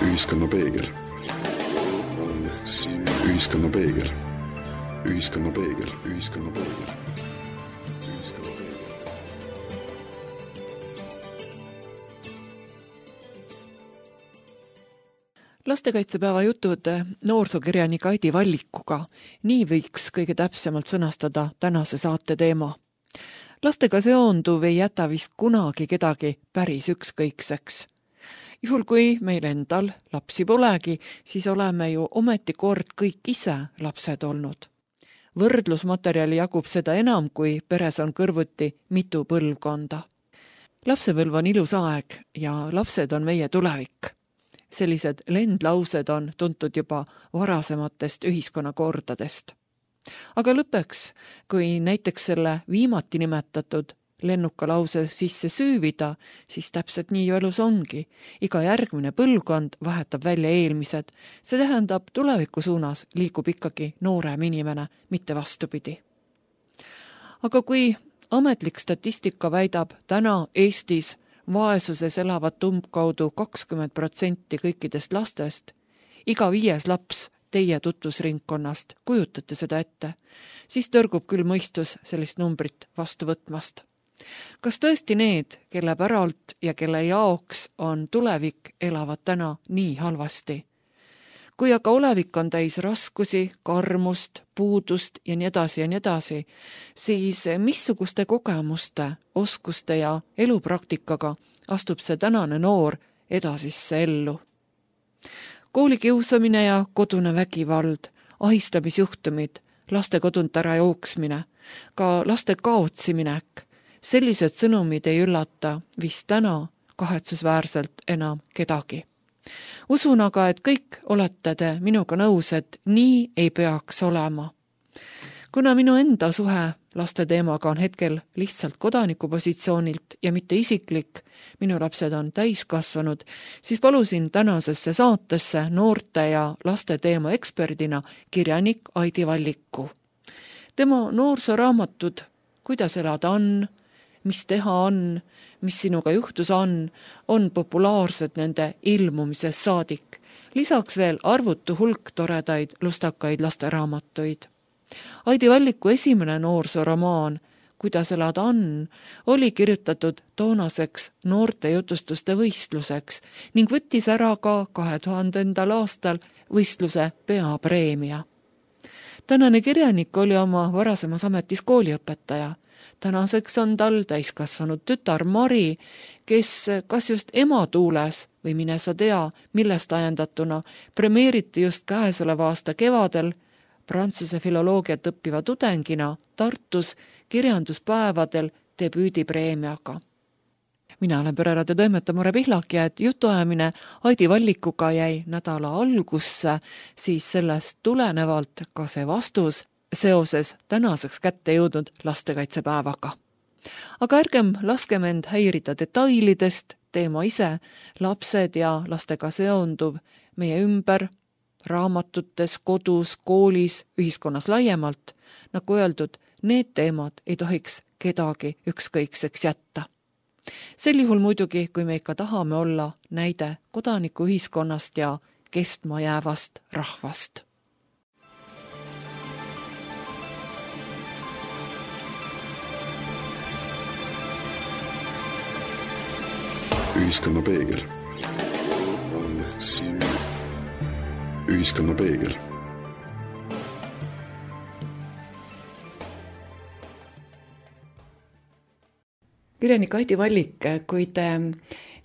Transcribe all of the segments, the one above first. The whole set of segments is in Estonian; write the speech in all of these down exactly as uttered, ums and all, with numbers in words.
Ühiskonna peegel. Ühiskonna peegel. Ühiskonna peegel. Ühiskonna peegel. Lastekaitsepäeva jutud noorsookirjanik Aidi Vallikuga. Nii võiks kõige täpsemalt sõnastada tänase saate teema. Lastega seonduv ei jäta vist kunagi kedagi päris ükskõikseks. Juhul kui meil endal lapsi polegi, siis oleme ju ometi kord kõik ise lapsed olnud. Võrdlusmaterjali jagub seda enam, kui peres on kõrvuti mitu põlvkonda. Lapsepõlv on ilus aeg ja lapsed on meie tulevik. Sellised lendlaused on tuntud juba varasematest ühiskonnakordadest. Aga lõpeks, kui näiteks selle viimati nimetatud lennuka lause sisse süüvida, siis täpselt nii ju elus ongi. Iga järgmine põlvkond vahetab välja eelmised. See tähendab, tuleviku suunas liigub ikkagi noorem inimene, mitte vastupidi. Aga kui ametlik statistika väidab täna Eestis vaesuses elavad umbkaudu kakskümmend protsenti kõikidest lastest, iga viies laps teie tutvusringkonnast, kujutate seda ette, siis tõrgub küll mõistus sellist numbrit vastu võtmast. Kas tõesti need, kelle päralt ja kelle jaoks on tulevik, elavad täna nii halvasti? Kui aga olevik on täis raskusi, karmust, puudust ja nii edasi ja nii edasi, siis missuguste kogemuste, oskuste ja elupraktikaga astub see tänane noor edasisse ellu? Koolikiusamine ja kodune vägivald, ahistamisjuhtumid, laste kodunt ära jooksmine, ka laste kaotsiminek, sellised sõnumid ei üllata vist täna kahetsusväärselt enam kedagi. Usun aga, et kõik olete te minuga nõus, et nii ei peaks olema. Kuna minu enda suhe laste teemaga on hetkel lihtsalt kodanikupositsioonilt ja mitte isiklik, minu lapsed on täiskasvanud, siis palusin tänasesse saatesse noorte ja laste teema eksperdina kirjanik Aidi Valliku. Tema noorsooraamatud Kuidas elada on, mis teha on, mis sinuga juhtus on, on populaarsed nende ilmumises saadik. Lisaks veel arvutu hulk toredaid lustakaid lasteraamatuid. Aidi Valliku esimene noorsooramaan Kuidas elada on, oli kirjutatud toonaseks noorte jutustuste võistluseks ning võttis ära ka kahe tuhandendal aastal võistluse peapreemia. Tänane kirjanik oli oma varasemas ametis kooliõpetaja. Tänaseks on tal täiskasvanud tütar Mari, kes kas just ema tuules või mine sa tea, millest ajendatuna premeeriti just käesoleva aasta kevadel prantsuse filoloogiat õppiva tudengina Tartus kirjanduspäevadel debüüdipreemiaga. Mina olen Pereraadio toimetaja Mure Pihlak ja et jutuajamine Aidi Vallikuga jäi nädala algusse, siis sellest tulenevalt ka see vastus seoses tänaseks kätte jõudnud lastekaitsepäevaga. Aga ärgem laskem end häirida detailidest, teema ise, lapsed ja lastega seonduv meie ümber, raamatutes, kodus, koolis, ühiskonnas laiemalt. Nagu öeldud, need teemad ei tohiks kedagi ükskõikseks jätta. Sel juhul muidugi, kui me ikka tahame olla näide kodanikuühiskonnast ja kestma jäävast rahvast. Ühiskonna peegel. Ühiskonna peegel. Kirjanik Aidi Vallik, kui te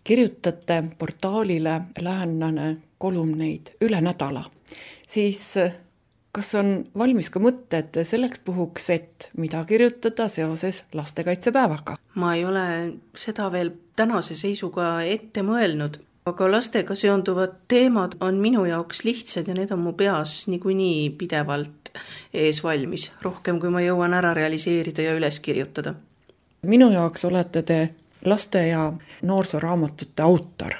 kirjutate portaalile Läänlane kolumneid üle nädala, siis kas on valmis ka mõtted selleks puhuks, et mida kirjutada seoses lastekaitsepäevaga? Ma ei ole seda veel tänase seisuga ette mõelnud, aga lastega seonduvad teemad on minu jaoks lihtsad ja need on mu peas niikuinii pidevalt ees valmis, rohkem kui ma jõuan ära realiseerida ja üles kirjutada. Minu jaoks olete te laste- ja noorsoooraamatute autor.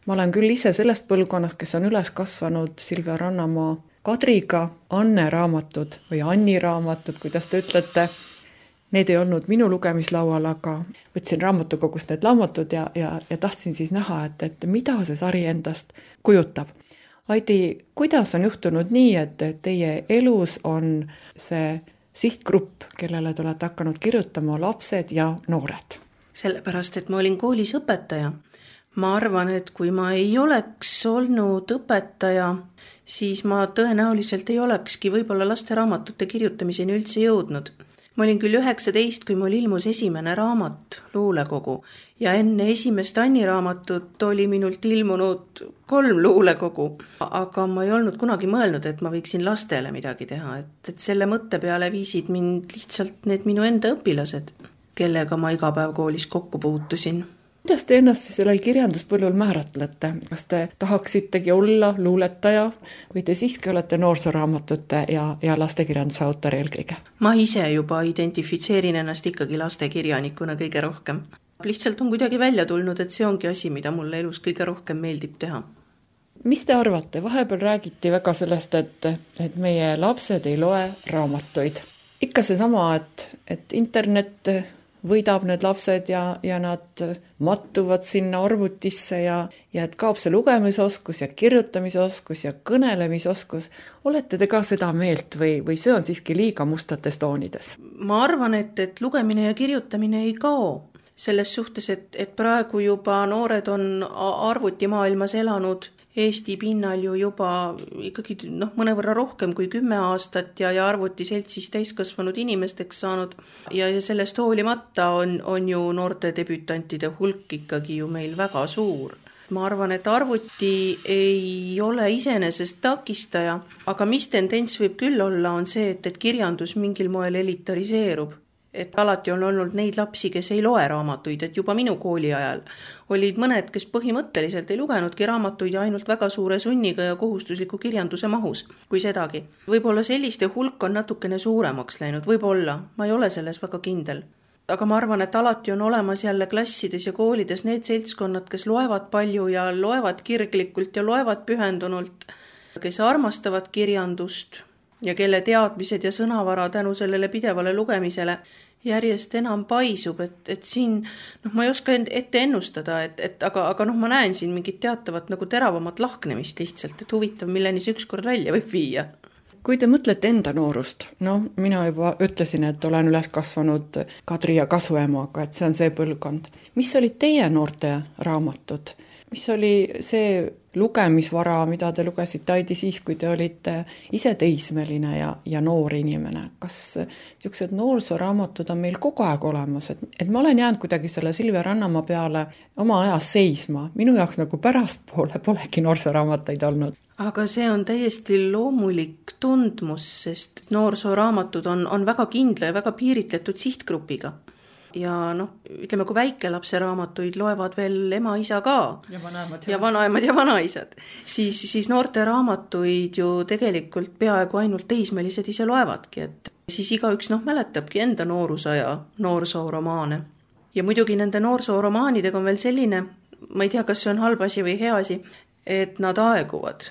Ma olen küll ise sellest põlvkonnast, kes on üles kasvanud Silvia Rannamaa Kadriga Anne raamatud või Anni raamatud, kuidas te ütlete, need ei olnud minu lugemislaual, aga võtsin raamatukogust need raamatud ja, ja, ja tahtsin siis näha, et, et mida see sari endast kujutab. Aidi, kuidas on juhtunud nii, et teie elus on see sihtgrupp, kellele te olete hakanud kirjutama, lapsed ja noored? Sellepärast, et ma olin koolis õpetaja. Ma arvan, et kui ma ei oleks olnud õpetaja, siis ma tõenäoliselt ei olekski võib-olla lasteraamatute kirjutamiseni üldse jõudnud. Ma olin küll üheksateist, kui mul ilmus esimene raamat, Luulekogu, ja enne esimest Anni raamatut oli minult ilmunud kolm luulekogu, aga ma ei olnud kunagi mõelnud, et ma võiksin lastele midagi teha, et, et selle mõtte peale viisid mind lihtsalt need minu enda õpilased, kellega ma iga päev koolis kokku puutusin. Kuidas te ennast sellel kirjanduspõllul määratlete? Kas te tahaksitegi olla luuletaja või te siiski olete noorsoraamatute ja, ja lastekirjanduse autor eelkõige? Ma ise juba identifitseerin ennast ikkagi lastekirjanikuna kõige rohkem. Lihtsalt on kuidagi välja tulnud, et see ongi asi, mida mulle elus kõige rohkem meeldib teha. Mis te arvate? Vahepeal räägiti väga sellest, et, et meie lapsed ei loe raamatuid. Ikka see sama, et, et internet võidab need lapsed ja, ja nad mattuvad sinna arvutisse ja, ja et kaob see lugemisoskus ja kirjutamisoskus ja kõnelemisoskus. Olete te ka seda meelt või, või see on siiski liiga mustates toonides? Ma arvan, et, et lugemine ja kirjutamine ei kao. Selles suhtes, et, et praegu juba noored on arvutimaailmas elanud Eesti pinnal ju juba ikkagi noh, mõnevõrra rohkem kui kümme aastat ja, ja arvutiseltsis täiskasvanud inimesteks saanud ja, ja sellest hoolimata on, on ju noorte debütantide hulk ikkagi ju meil väga suur. Ma arvan, et arvuti ei ole iseenesest takistaja, aga mis tendents võib küll olla, on see, et, et kirjandus mingil moel elitariseerub. Et alati on olnud neid lapsi, kes ei loe raamatuid, et juba minu kooli ajal olid mõned, kes põhimõtteliselt ei lugenudki raamatuid ja ainult väga suure sunniga ja kohustusliku kirjanduse mahus, kui sedagi. Võib-olla selliste hulk on natukene suuremaks läinud, võib-olla, ma ei ole selles väga kindel. Aga ma arvan, et alati on olemas jälle klassides ja koolides need seltskonnad, kes loevad palju ja loevad kirglikult ja loevad pühendunult, kes armastavad kirjandust ja kelle teadmised ja sõnavara tänu sellele pidevale lugemisele järjest enam paisub, et, et siin, noh, ma ei oska ette ennustada, et, et aga, aga noh, ma näen siin mingit teatavat nagu teravamat lahknemist lihtsalt, et huvitav, milleni see ükskord välja võib viia. Kui te mõtlete enda noorust, no mina juba ütlesin, et olen üles kasvanud Kadri ja kasuemaga, et see on see põlvkond. Mis olid teie noorte raamatud? Mis oli see lugemisvara, mida te lugesite, Aidi, siis, kui te olite ise teismeline ja, ja noor inimene? Kas niisugused noorsoraamatud on meil kogu aeg olemas? Et, et ma olen jäänud kuidagi selle Silvia Rannamaa peale oma ajas seisma. Minu jaoks nagu pärastpoole polegi noorsoraamatuid olnud. Aga see on täiesti loomulik tundmus, sest noorsoraamatud on, on väga kindla ja väga piiritletud sihtgrupiga. Ja noh, ütleme, kui väikelapse raamatuid loevad veel ema, isa ka ja vanaemad ja, ja, vanaemad ja vanaisad, siis, siis noorte raamatuid ju tegelikult peaaegu ainult teismelised ise loevadki, et siis igaüks noh, mäletabki enda noorusaja noorsooromaane. Ja muidugi nende noorsooromaanidega on veel selline, ma ei tea, kas see on halb asi või hea asi, et nad aeguvad,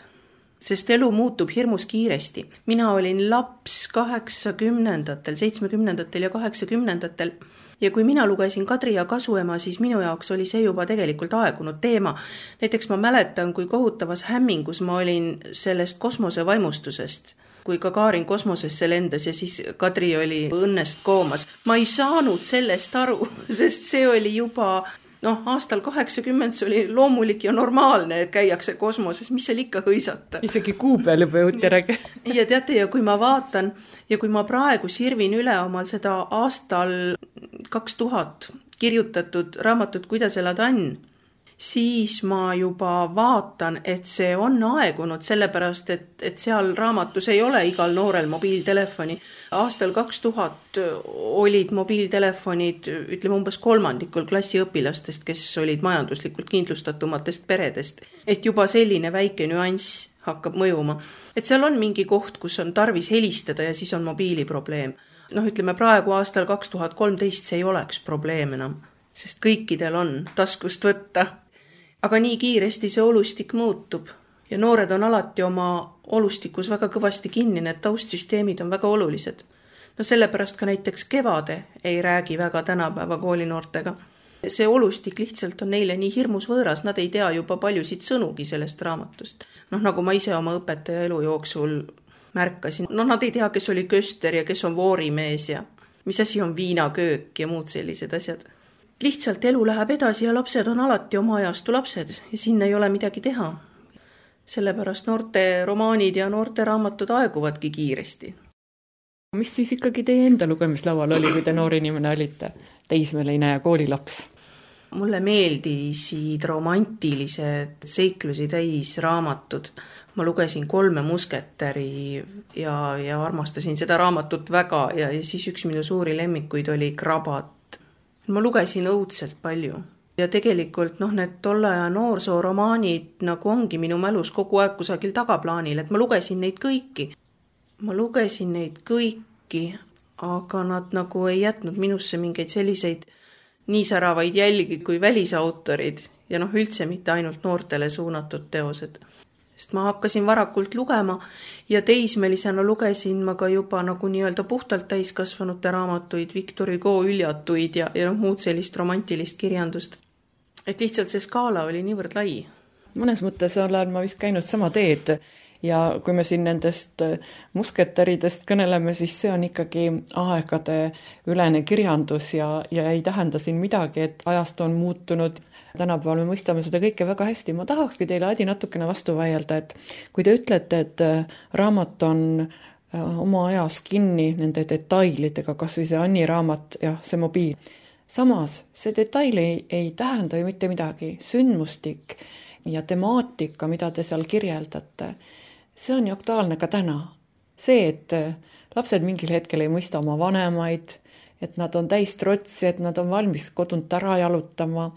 sest elu muutub hirmus kiiresti. Mina olin laps kaheksakümnendatel, seitsmekümnendatel ja kaheksakümnendatel ja kui mina lugesin Kadri ja kasuema, siis minu jaoks oli see juba tegelikult aegunud teema. Näiteks ma mäletan, kui kohutavas hämmingus ma olin sellest kosmose vaimustusest, kui Gagarin kosmosesse lendas ja siis Kadri oli õnnest koomas. Ma ei saanud sellest aru, sest see oli juba noh, aastal kaheksakümmend see oli loomulik ja normaalne, et käiakse kosmoses, mis seal ikka hõisata. Isegi kuu peal juba jõuti räägi. Ja teate, ja kui ma vaatan ja kui ma praegu sirvin üle omal seda aastal kaks tuhat kirjutatud raamatut Kuidas elada on, siis ma juba vaatan, et see on aegunud, sellepärast, et, et seal raamatus ei ole igal noorel mobiiltelefoni. Aastal kaks tuhat olid mobiiltelefonid, ütleme umbes kolmandikul klassiõpilastest, kes olid majanduslikult kindlustatumatest peredest. Et juba selline väike nüanss hakkab mõjuma. Et seal on mingi koht, kus on tarvis helistada ja siis on mobiiliprobleem. Noh, ütleme praegu aastal kaks tuhat kolmteist see ei oleks probleem enam, sest kõikidel on taskust võtta. Aga nii kiiresti see olustik muutub ja noored on alati oma olustikus väga kõvasti kinni, need taustsüsteemid on väga olulised. No sellepärast ka näiteks Kevade ei räägi väga tänapäeva koolinoortega. See olustik lihtsalt on neile nii hirmus võõras, nad ei tea juba paljusid sõnugi sellest raamatust. Noh, nagu ma ise oma õpetaja elu jooksul märkasin, no nad ei tea, kes oli köster ja kes on voorimees ja mis asi on viinaköök ja muud sellised asjad. Lihtsalt elu läheb edasi ja lapsed on alati oma ajastu lapsed ja sinna ei ole midagi teha. Sellepärast noorte romaanid ja noorte raamatud aeguvadki kiiresti. Mis siis ikkagi teie enda lugemislaual oli, kui te noor inimene olite, teismeline ja koolilaps? Mulle meeldisid romantilised seiklusi täis raamatud. Ma lugesin Kolme musketäri ja, ja armastasin seda raamatut väga ja, ja siis üks minu suuri lemmikuid oli Krabat. Ma lugesin õudselt palju. Ja tegelikult noh, need tolle aja noorsooromaanid nagu ongi minu mälus kogu aeg kusagil tagaplaanil, et ma lugesin neid kõiki. Ma lugesin neid kõiki, aga nad nagu ei jätnud minusse mingeid selliseid nii säravaid jälgi kui välisautorid ja noh, üldse mitte ainult noortele suunatud teosed. Sest ma hakkasin varakult lugema ja teismelisena lugesin ma ka juba nagu nii-öelda puhtalt täiskasvanute raamatuid, Victor Hugo üljatuid ja, ja noh, muud sellist romantilist kirjandust. Et lihtsalt see skaala oli niivõrd lai. Mõnes mõttes olen ma vist käinud sama teed ja kui me siin nendest musketäridest kõneleme, siis see on ikkagi aegade ülene kirjandus ja, ja ei tähenda siin midagi, et ajast on muutunud. Tänapäeval me mõistame seda kõike väga hästi. Ma tahakski teile Adi natukene vastu vaielda, et kui te ütlete, et raamat on oma ajas kinni nende detailidega, kas või see Anni raamat ja see mobiil. Samas, see detail ei, ei tähenda ju mitte midagi. Sündmustik ja temaatika, mida te seal kirjeldate, see on ju aktuaalne ka täna. See, et lapsed mingil hetkel ei mõista oma vanemaid, et nad on täis trotsi, et nad on valmis kodunt ära jalutama.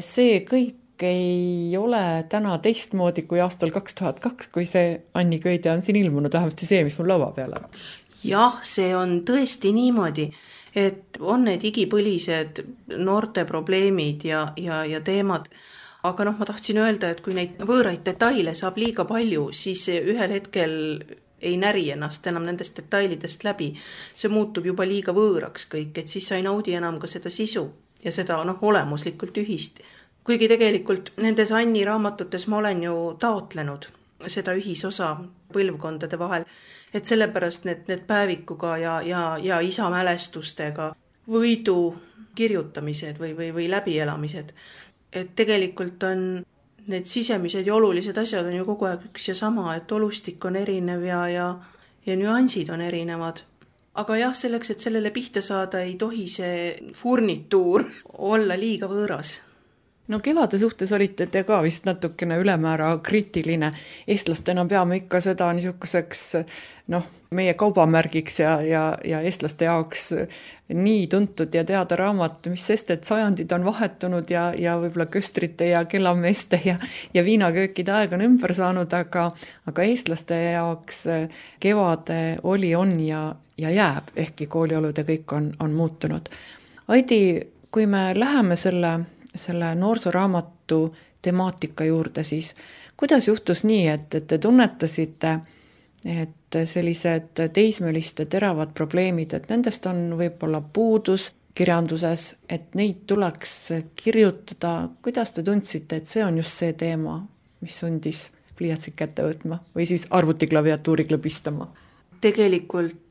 See kõik ei ole täna teistmoodi kui aastal kaks tuhat kaks, kui see Anni Köidja on siin ilmunud, vähemasti see, mis mul laua peal on. Jah, see on tõesti niimoodi, et on need igipõlised noorte probleemid ja, ja, ja teemad. Aga noh, ma tahtsin öelda, et kui neid võõraid detaile saab liiga palju, siis ühel hetkel ei näri ennast enam nendest detailidest läbi. See muutub juba liiga võõraks kõik, et siis sa ei naudi enam ka seda sisu ja seda noh, olemuslikult ühist. Kuigi tegelikult nendes Anni raamatutes ma olen ju taotlenud seda ühisosa põlvkondade vahel, et sellepärast need, need päevikuga ja, ja, ja isa mälestustega võidu kirjutamised või, või, või läbielamised. Et tegelikult on need sisemised ja olulised asjad on ju kogu aeg üks ja sama, et olustik on erinev ja, ja, ja nüansid on erinevad. Aga jah, selleks, et sellele pihta saada, ei tohi see furnituur olla liiga võõras. No Kevade suhtes olite te ka vist natukene ülemäära kriitiline. Eestlastena peame ikka seda niisuguseks noh, meie kaubamärgiks ja, ja, ja eestlaste jaoks nii tuntud ja teada raamat, mis sest, et sajandid on vahetunud ja, ja võib-olla köstrite ja kellameeste ja, ja viinaköökide aeg on ümber saanud, aga, aga eestlaste jaoks Kevade oli, on ja, ja jääb, ehkki kooliolud ja kõik on, on muutunud. Aidi, kui me läheme selle selle noorsooraamatu temaatika juurde, siis kuidas juhtus nii, et, et te tunnetasite, et sellised teismeliste teravad probleemid, et nendest on võib-olla puudus kirjanduses, et neid tuleks kirjutada. Kuidas te tundsite, et see on just see teema, mis sundis pliiatsid kätte võtma või siis arvutiklaviatuuri klõbistama? Tegelikult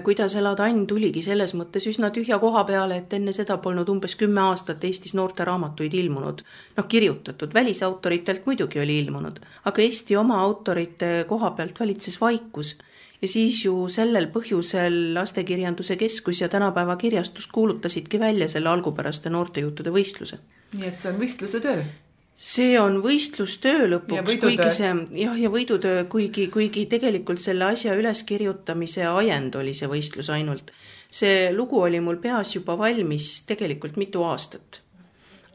kuidas elada Ann tuligi selles mõttes üsna tühja koha peale, et enne seda polnud umbes kümme aastat Eestis noorte raamatuid ilmunud. Noh, kirjutatud, välisautoritelt muidugi oli ilmunud, aga Eesti oma autorite koha pealt valitses vaikus. Ja siis ju sellel põhjusel Lastekirjanduse Keskus ja tänapäeva kirjastus kuulutasidki välja selle algupäraste noortejuttude võistluse. Nii et see on võistluse töö? See on võistlustöö lõpuks, kuigi see, jah, ja võidutöö, kuigi, kuigi tegelikult selle asja üleskirjutamise ajend oli see võistlus ainult. See lugu oli mul peas juba valmis tegelikult mitu aastat.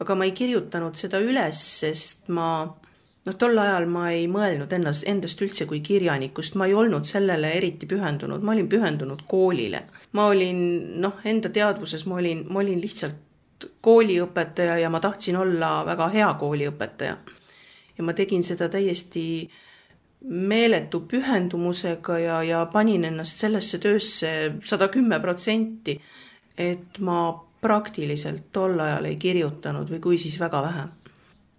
Aga ma ei kirjutanud seda üles, sest ma, noh, tol ajal ma ei mõelnud ennast, endast üldse kui kirjanikust, ma ei olnud sellele eriti pühendunud, ma olin pühendunud koolile. Ma olin, noh, enda teadvuses ma olin, ma olin lihtsalt kooliõpetaja ja ma tahtsin olla väga hea kooliõpetaja. ja ma tegin seda täiesti meeletu pühendumusega ja, ja panin ennast sellesse töösse sada kümme protsenti, et ma praktiliselt tol ajal ei kirjutanud või kui siis väga vähe.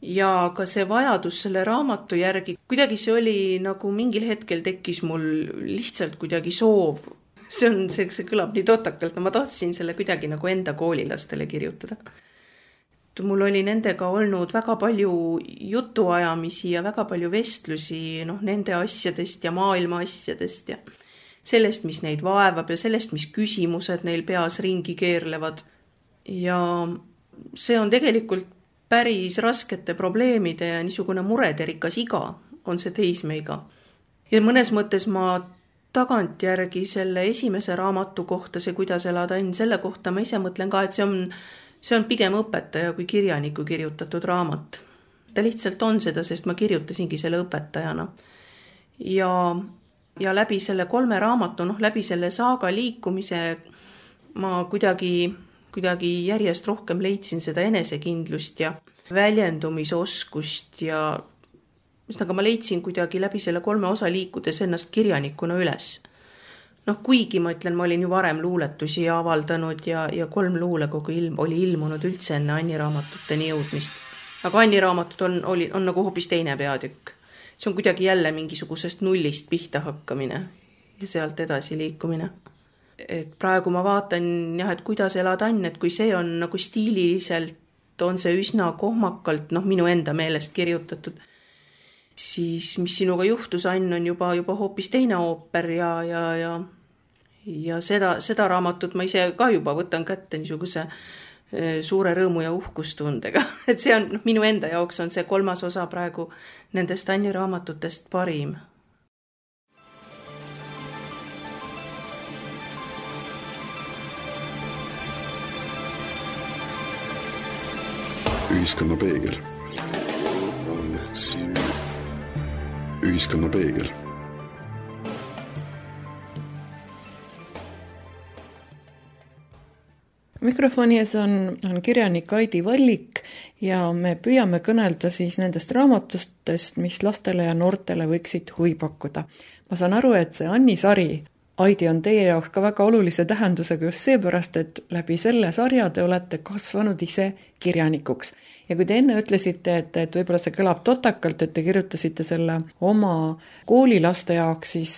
Ja ka see vajadus selle raamatu järgi, kuidagi see oli nagu mingil hetkel tekkis mul lihtsalt kuidagi soov. See on, see, see kõlab nii totakalt, no ma tahtsin selle kuidagi nagu enda koolilastele kirjutada. Mul oli nendega olnud väga palju jutuajamisi ja väga palju vestlusi noh, nende asjadest ja maailma asjadest ja sellest, mis neid vaevab ja sellest, mis küsimused neil peas ringi keerlevad. Ja see on tegelikult päris raskete probleemide ja niisugune murederikas iga on see teismeiga. Ja mõnes mõttes ma tagantjärgi selle esimese raamatu kohta, see kuidas elada õnn, selle kohta ma ise mõtlen ka, et see on, see on pigem õpetaja kui kirjaniku kirjutatud raamat. Ta lihtsalt on seda, sest ma kirjutasingi selle õpetajana. Ja, ja läbi selle kolme raamatu, noh läbi selle saaga liikumise ma kuidagi kuidagi järjest rohkem leidsin seda enesekindlust ja väljendumisoskust ja aga ma leidsin kuidagi läbi selle kolme osa liikudes ennast kirjanikuna üles. Noh, kuigi ma ütlen, ma olin ju varem luuletusi avaldanud ja, ja kolm luulekogu ilm, oli ilmunud üldse enne Anni raamatuteni jõudmist. Aga Anni raamatud on, oli, on nagu hoopis teine peatükk. See on kuidagi jälle mingisugusest nullist pihta hakkamine ja sealt edasi liikumine. Et praegu ma vaatan, jah, et kuidas elad Ann, et kui see on nagu stiililiselt, on see üsna kohmakalt, noh, minu enda meelest kirjutatud, siis mis sinuga juhtus, Ann, on juba, juba hoopis teine ooper ja, ja, ja, ja seda, seda raamatut ma ise ka juba võtan kätte niisuguse suure rõõmu ja uhkustundega. Et see on, noh, minu enda jaoks on see kolmas osa praegu nendest Anni raamatutest parim. Ühiskonna peegel. Ühiskonna peegel. Mikrofoni ees on, on kirjanik Aidi Vallik ja me püüame kõnelda siis nendest raamatustest, mis lastele ja noortele võiksid huvi pakkuda. Ma saan aru, et see Anni sari, Aidi, on teie jaoks ka väga olulise tähendusega just seepärast, et läbi selle sarja te olete kasvanud ise kirjanikuks. Ja kui te enne ütlesite, et, et võib-olla see kõlab totakalt, et te kirjutasite selle oma koolilaste jaoks, siis,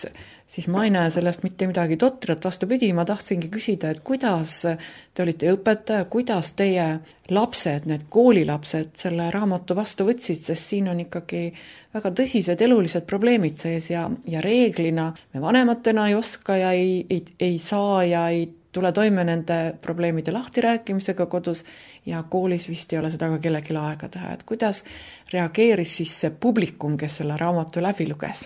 siis ma ei näe sellest mitte midagi totrat. Vastupidi, ma tahtsingi küsida, et kuidas te olite õpetaja, kuidas teie lapsed, need koolilapsed selle raamatu vastu võtsid, sest siin on ikkagi väga tõsised elulised probleemid sees ja, ja reeglina me vanematena ei oska ja ei, ei, ei saa ja ei tule toime nende probleemide lahtirääkimisega kodus ja koolis vist ei ole seda ka kellelgi aega teha. Et kuidas reageeris siis see publikum, kes selle raamatu läbi luges?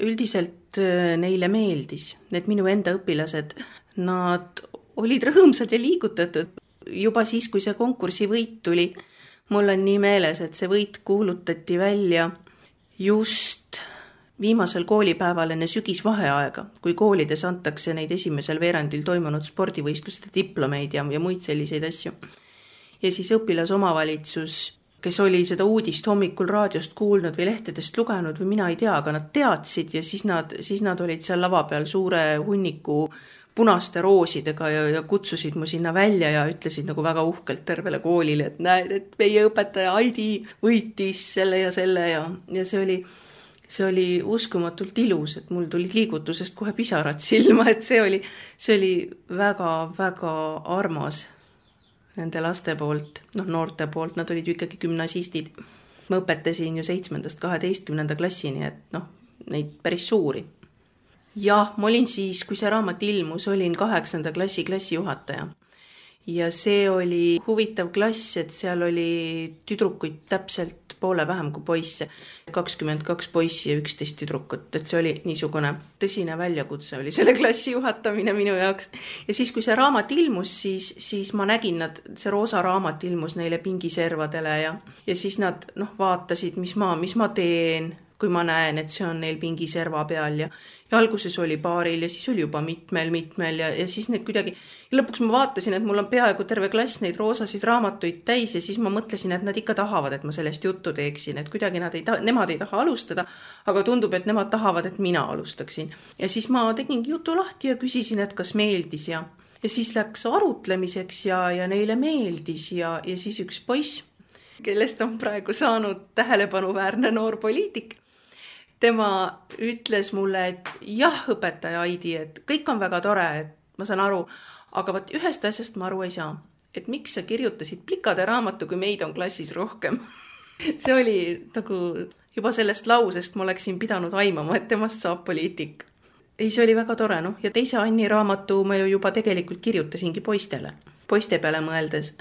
Üldiselt neile meeldis. Need minu enda õpilased, nad olid rõõmsad ja liigutatud. Juba siis, kui see konkursi võit tuli, mul on nii meeles, et see võit kuulutati välja just viimasel koolipäeval enne sügisvaheaega, kui koolides antakse neid esimesel veerandil toimunud spordivõistluste diplomeid ja, ja muid selliseid asju. Ja siis õpilasomavalitsus, kes oli seda uudist hommikul raadiost kuulnud või lehtedest lugenud või mina ei tea, aga nad teadsid ja siis nad, siis nad olid seal lava peal suure hunniku punaste roosidega ja, ja kutsusid mu sinna välja ja ütlesid nagu väga uhkelt tervele koolile, et näed, et meie õpetaja Aidi võitis selle ja selle ja, ja see oli See oli uskumatult ilus, et mul tulid liigutusest kohe pisarad silma, et see oli, see oli väga, väga armas nende laste poolt, noh noorte poolt, nad olid ju ikkagi gümnasistid. Ma õpetasin ju seitsmendast kaheteistkümnenda klassini, et noh, neid päris suuri. Ja ma olin siis, kui see raamat ilmus, olin kaheksanda klassi klassijuhataja. Ja see oli huvitav klass, et seal oli tüdrukuid täpselt poole vähem kui poisse. kakskümmend kaks poissi ja üksteist tüdrukut, et see oli niisugune tõsine väljakutse oli selle klassi juhatamine minu jaoks. Ja siis, kui see raamat ilmus, siis, siis ma nägin, nad, see roosa raamat ilmus neile pingiservadele ja, ja siis nad noh, vaatasid, mis ma, mis ma teen, kui ma näen, et see on neil pingi serva peal ja, ja alguses oli paaril ja siis oli juba mitmel, mitmel ja, ja siis need kuidagi, ja lõpuks ma vaatasin, et mul on peaaegu terve klass neid roosasid raamatuid täis ja siis ma mõtlesin, et nad ikka tahavad, et ma sellest juttu teeksin, et kuidagi nad ei taha, nemad ei taha alustada, aga tundub, et nemad tahavad, et mina alustaksin. Ja siis ma tegingi jutu lahti ja küsisin, et kas meeldis ja, ja siis läks arutlemiseks ja, ja neile meeldis ja, ja siis üks poiss, kellest on praegu saanud tähelepanuväärne noor poliitik. Tema ütles mulle, et jah, õpetaja Aidi, et kõik on väga tore, et ma saan aru, aga võt ühest asjast ma aru ei saa, et miks sa kirjutasid plikade raamatu, kui meid on klassis rohkem. See oli nagu juba sellest lausest ma oleksin pidanud aimama, et temast saab poliitik. Ei, see oli väga tore, noh, ja teise Anni raamatu ma ju juba tegelikult kirjutasingi poistele, poiste peale mõeldes.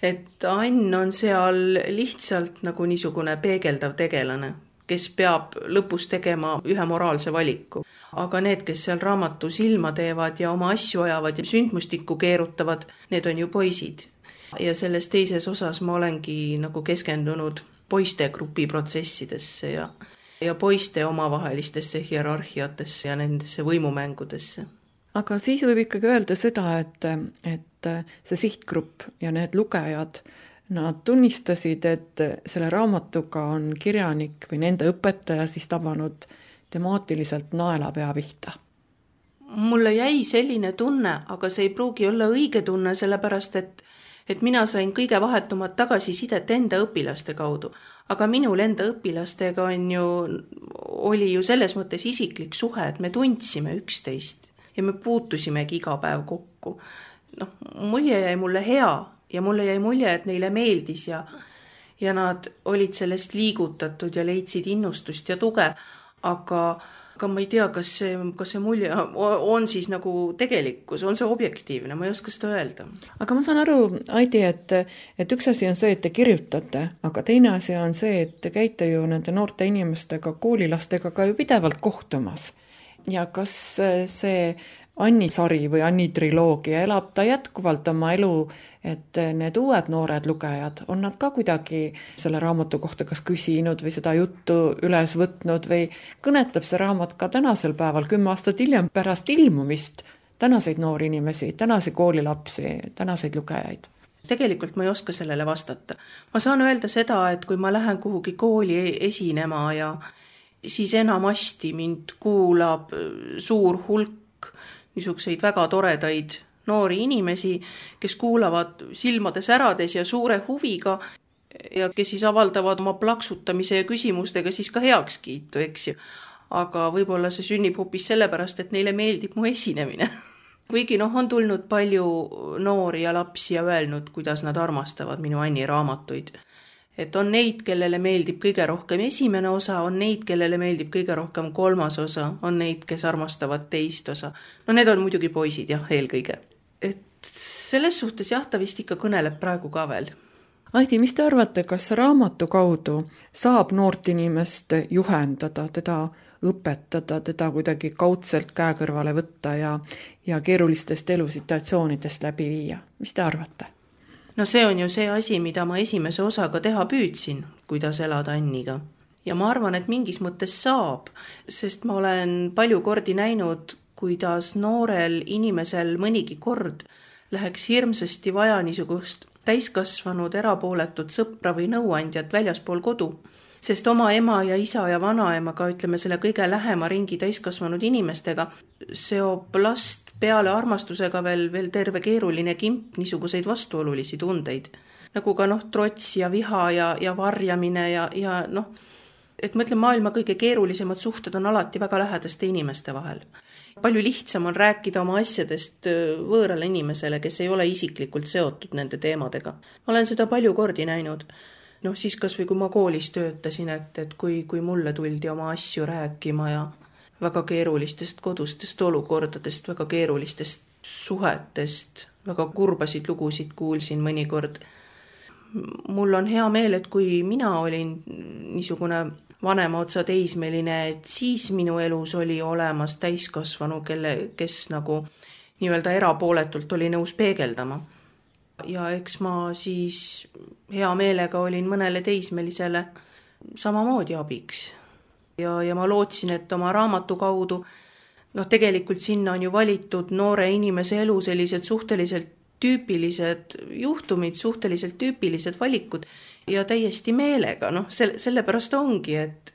Et Ann on seal lihtsalt nagu niisugune peegeldav tegelane, kes peab lõpus tegema ühe moraalse valiku. Aga need, kes seal raamatu silma teevad ja oma asju ajavad ja sündmustikku keerutavad, need on ju poisid. Ja selles teises osas ma olengi nagu keskendunud poiste grupi protsessidesse ja, ja poiste omavahelistesse hierarhiatesse ja nendesse võimumängudesse. Aga siis võib ikkagi öelda seda, et, et see sihtgrupp ja need lugejad, nad tunnistasid, et selle raamatuga on kirjanik või nende õpetaja siis tabanud temaatiliselt naelapea pihta. Mulle jäi selline tunne, aga see ei pruugi olla õige tunne, sellepärast et, et mina sain kõige vahetumat tagasisidet enda õpilaste kaudu. Aga minul enda õpilastega on ju, oli ju selles mõttes isiklik suhe, et me tundsime üksteist ja me puutusimegi iga päev kokku. Noh, mulje jäi mulle hea ja mulle jäi mulje, et neile meeldis ja, ja nad olid sellest liigutatud ja leidsid innustust ja tuge, aga, aga ma ei tea, kas see, kas see mulje on siis nagu tegelikkus, on see objektiivne, ma ei oska seda öelda. Aga ma saan aru, Aidi, et, et üks asi on see, et te kirjutate, aga teine asi on see, et te käite ju nende noorte inimestega, koolilastega ka ju pidevalt kohtumas. Ja kas see Anni sari või Anni triloogia elab ta jätkuvalt oma elu, et need uued noored lugejad, on nad ka kuidagi selle raamatu kohta kas küsinud või seda juttu üles võtnud või kõnetab see raamat ka tänasel päeval, kümme aastat hiljem pärast ilmumist, tänaseid noori inimesi, tänase koolilapsi, tänaseid lugejaid? Tegelikult ma ei oska sellele vastata. Ma saan öelda seda, et kui ma lähen kuhugi kooli esinema ja siis enamasti mind kuulab suur hulk niisuguseid väga toredaid noori inimesi, kes kuulavad silmade särades ja suure huviga ja kes siis avaldavad oma plaksutamise ja küsimustega siis ka heakskiitu, eks ju. Aga võib-olla see sünnib hoopis sellepärast, et neile meeldib mu esinemine. Kuigi noh, on tulnud palju noori ja lapsi ja öelnud, kuidas nad armastavad minu Anni raamatuid. Et on neid, kellele meeldib kõige rohkem esimene osa, on neid, kellele meeldib kõige rohkem kolmas osa, on neid, kes armastavad teist osa. No need on muidugi poisid, jah, eelkõige. Et selles suhtes jah, ta vist ikka kõneleb praegu ka veel. Aidi, mis te arvate, kas raamatu kaudu saab noort inimest juhendada, teda õpetada, teda kuidagi kaudselt käe kõrvale võtta ja, ja keerulistest elusituatsioonidest läbi viia? Mis te arvate? No see on ju see asi, mida ma esimese osaga teha püüdsin, kuidas elada Anniga. Ja ma arvan, et mingis mõttes saab, sest ma olen palju kordi näinud, kuidas noorel inimesel mõnigi kord läheks hirmsasti vaja niisugust täiskasvanud erapooletut sõpra või nõuandjat väljaspool kodu. Sest oma ema ja isa ja vanaemaga, ütleme selle kõige lähema ringi täiskasvanud inimestega, seob last peale armastusega veel, veel terve keeruline kimp niisuguseid vastuolulisi tundeid. Nagu ka noh, trots ja viha ja, ja varjamine ja, ja noh, et ma ütlen, maailma kõige keerulisemad suhted on alati väga lähedaste inimeste vahel. Palju lihtsam on rääkida oma asjadest võõrale inimesele, kes ei ole isiklikult seotud nende teemadega. Ma olen seda palju kordi näinud. Noh, siis kas või kui ma koolis töötasin, et, et kui, kui mulle tuldi oma asju rääkima ja väga keerulistest kodustest olukordadest, väga keerulistest suhetest, väga kurbasid lugusid kuulsin mõnikord. Mul on hea meel, et kui mina olin niisugune vanema otsa teismeline, et siis minu elus oli olemas täiskasvanu, kelle, kes nagu nii-öelda erapooletult oli nõus peegeldama. Ja eks ma siis hea meelega olin mõnele teismelisele samamoodi abiks. ja, ja ma lootsin, et oma raamatu kaudu, noh tegelikult sinna on ju valitud noore inimese elu sellised suhteliselt tüüpilised juhtumid, suhteliselt tüüpilised valikud ja täiesti meelega, noh selle, sellepärast ongi, et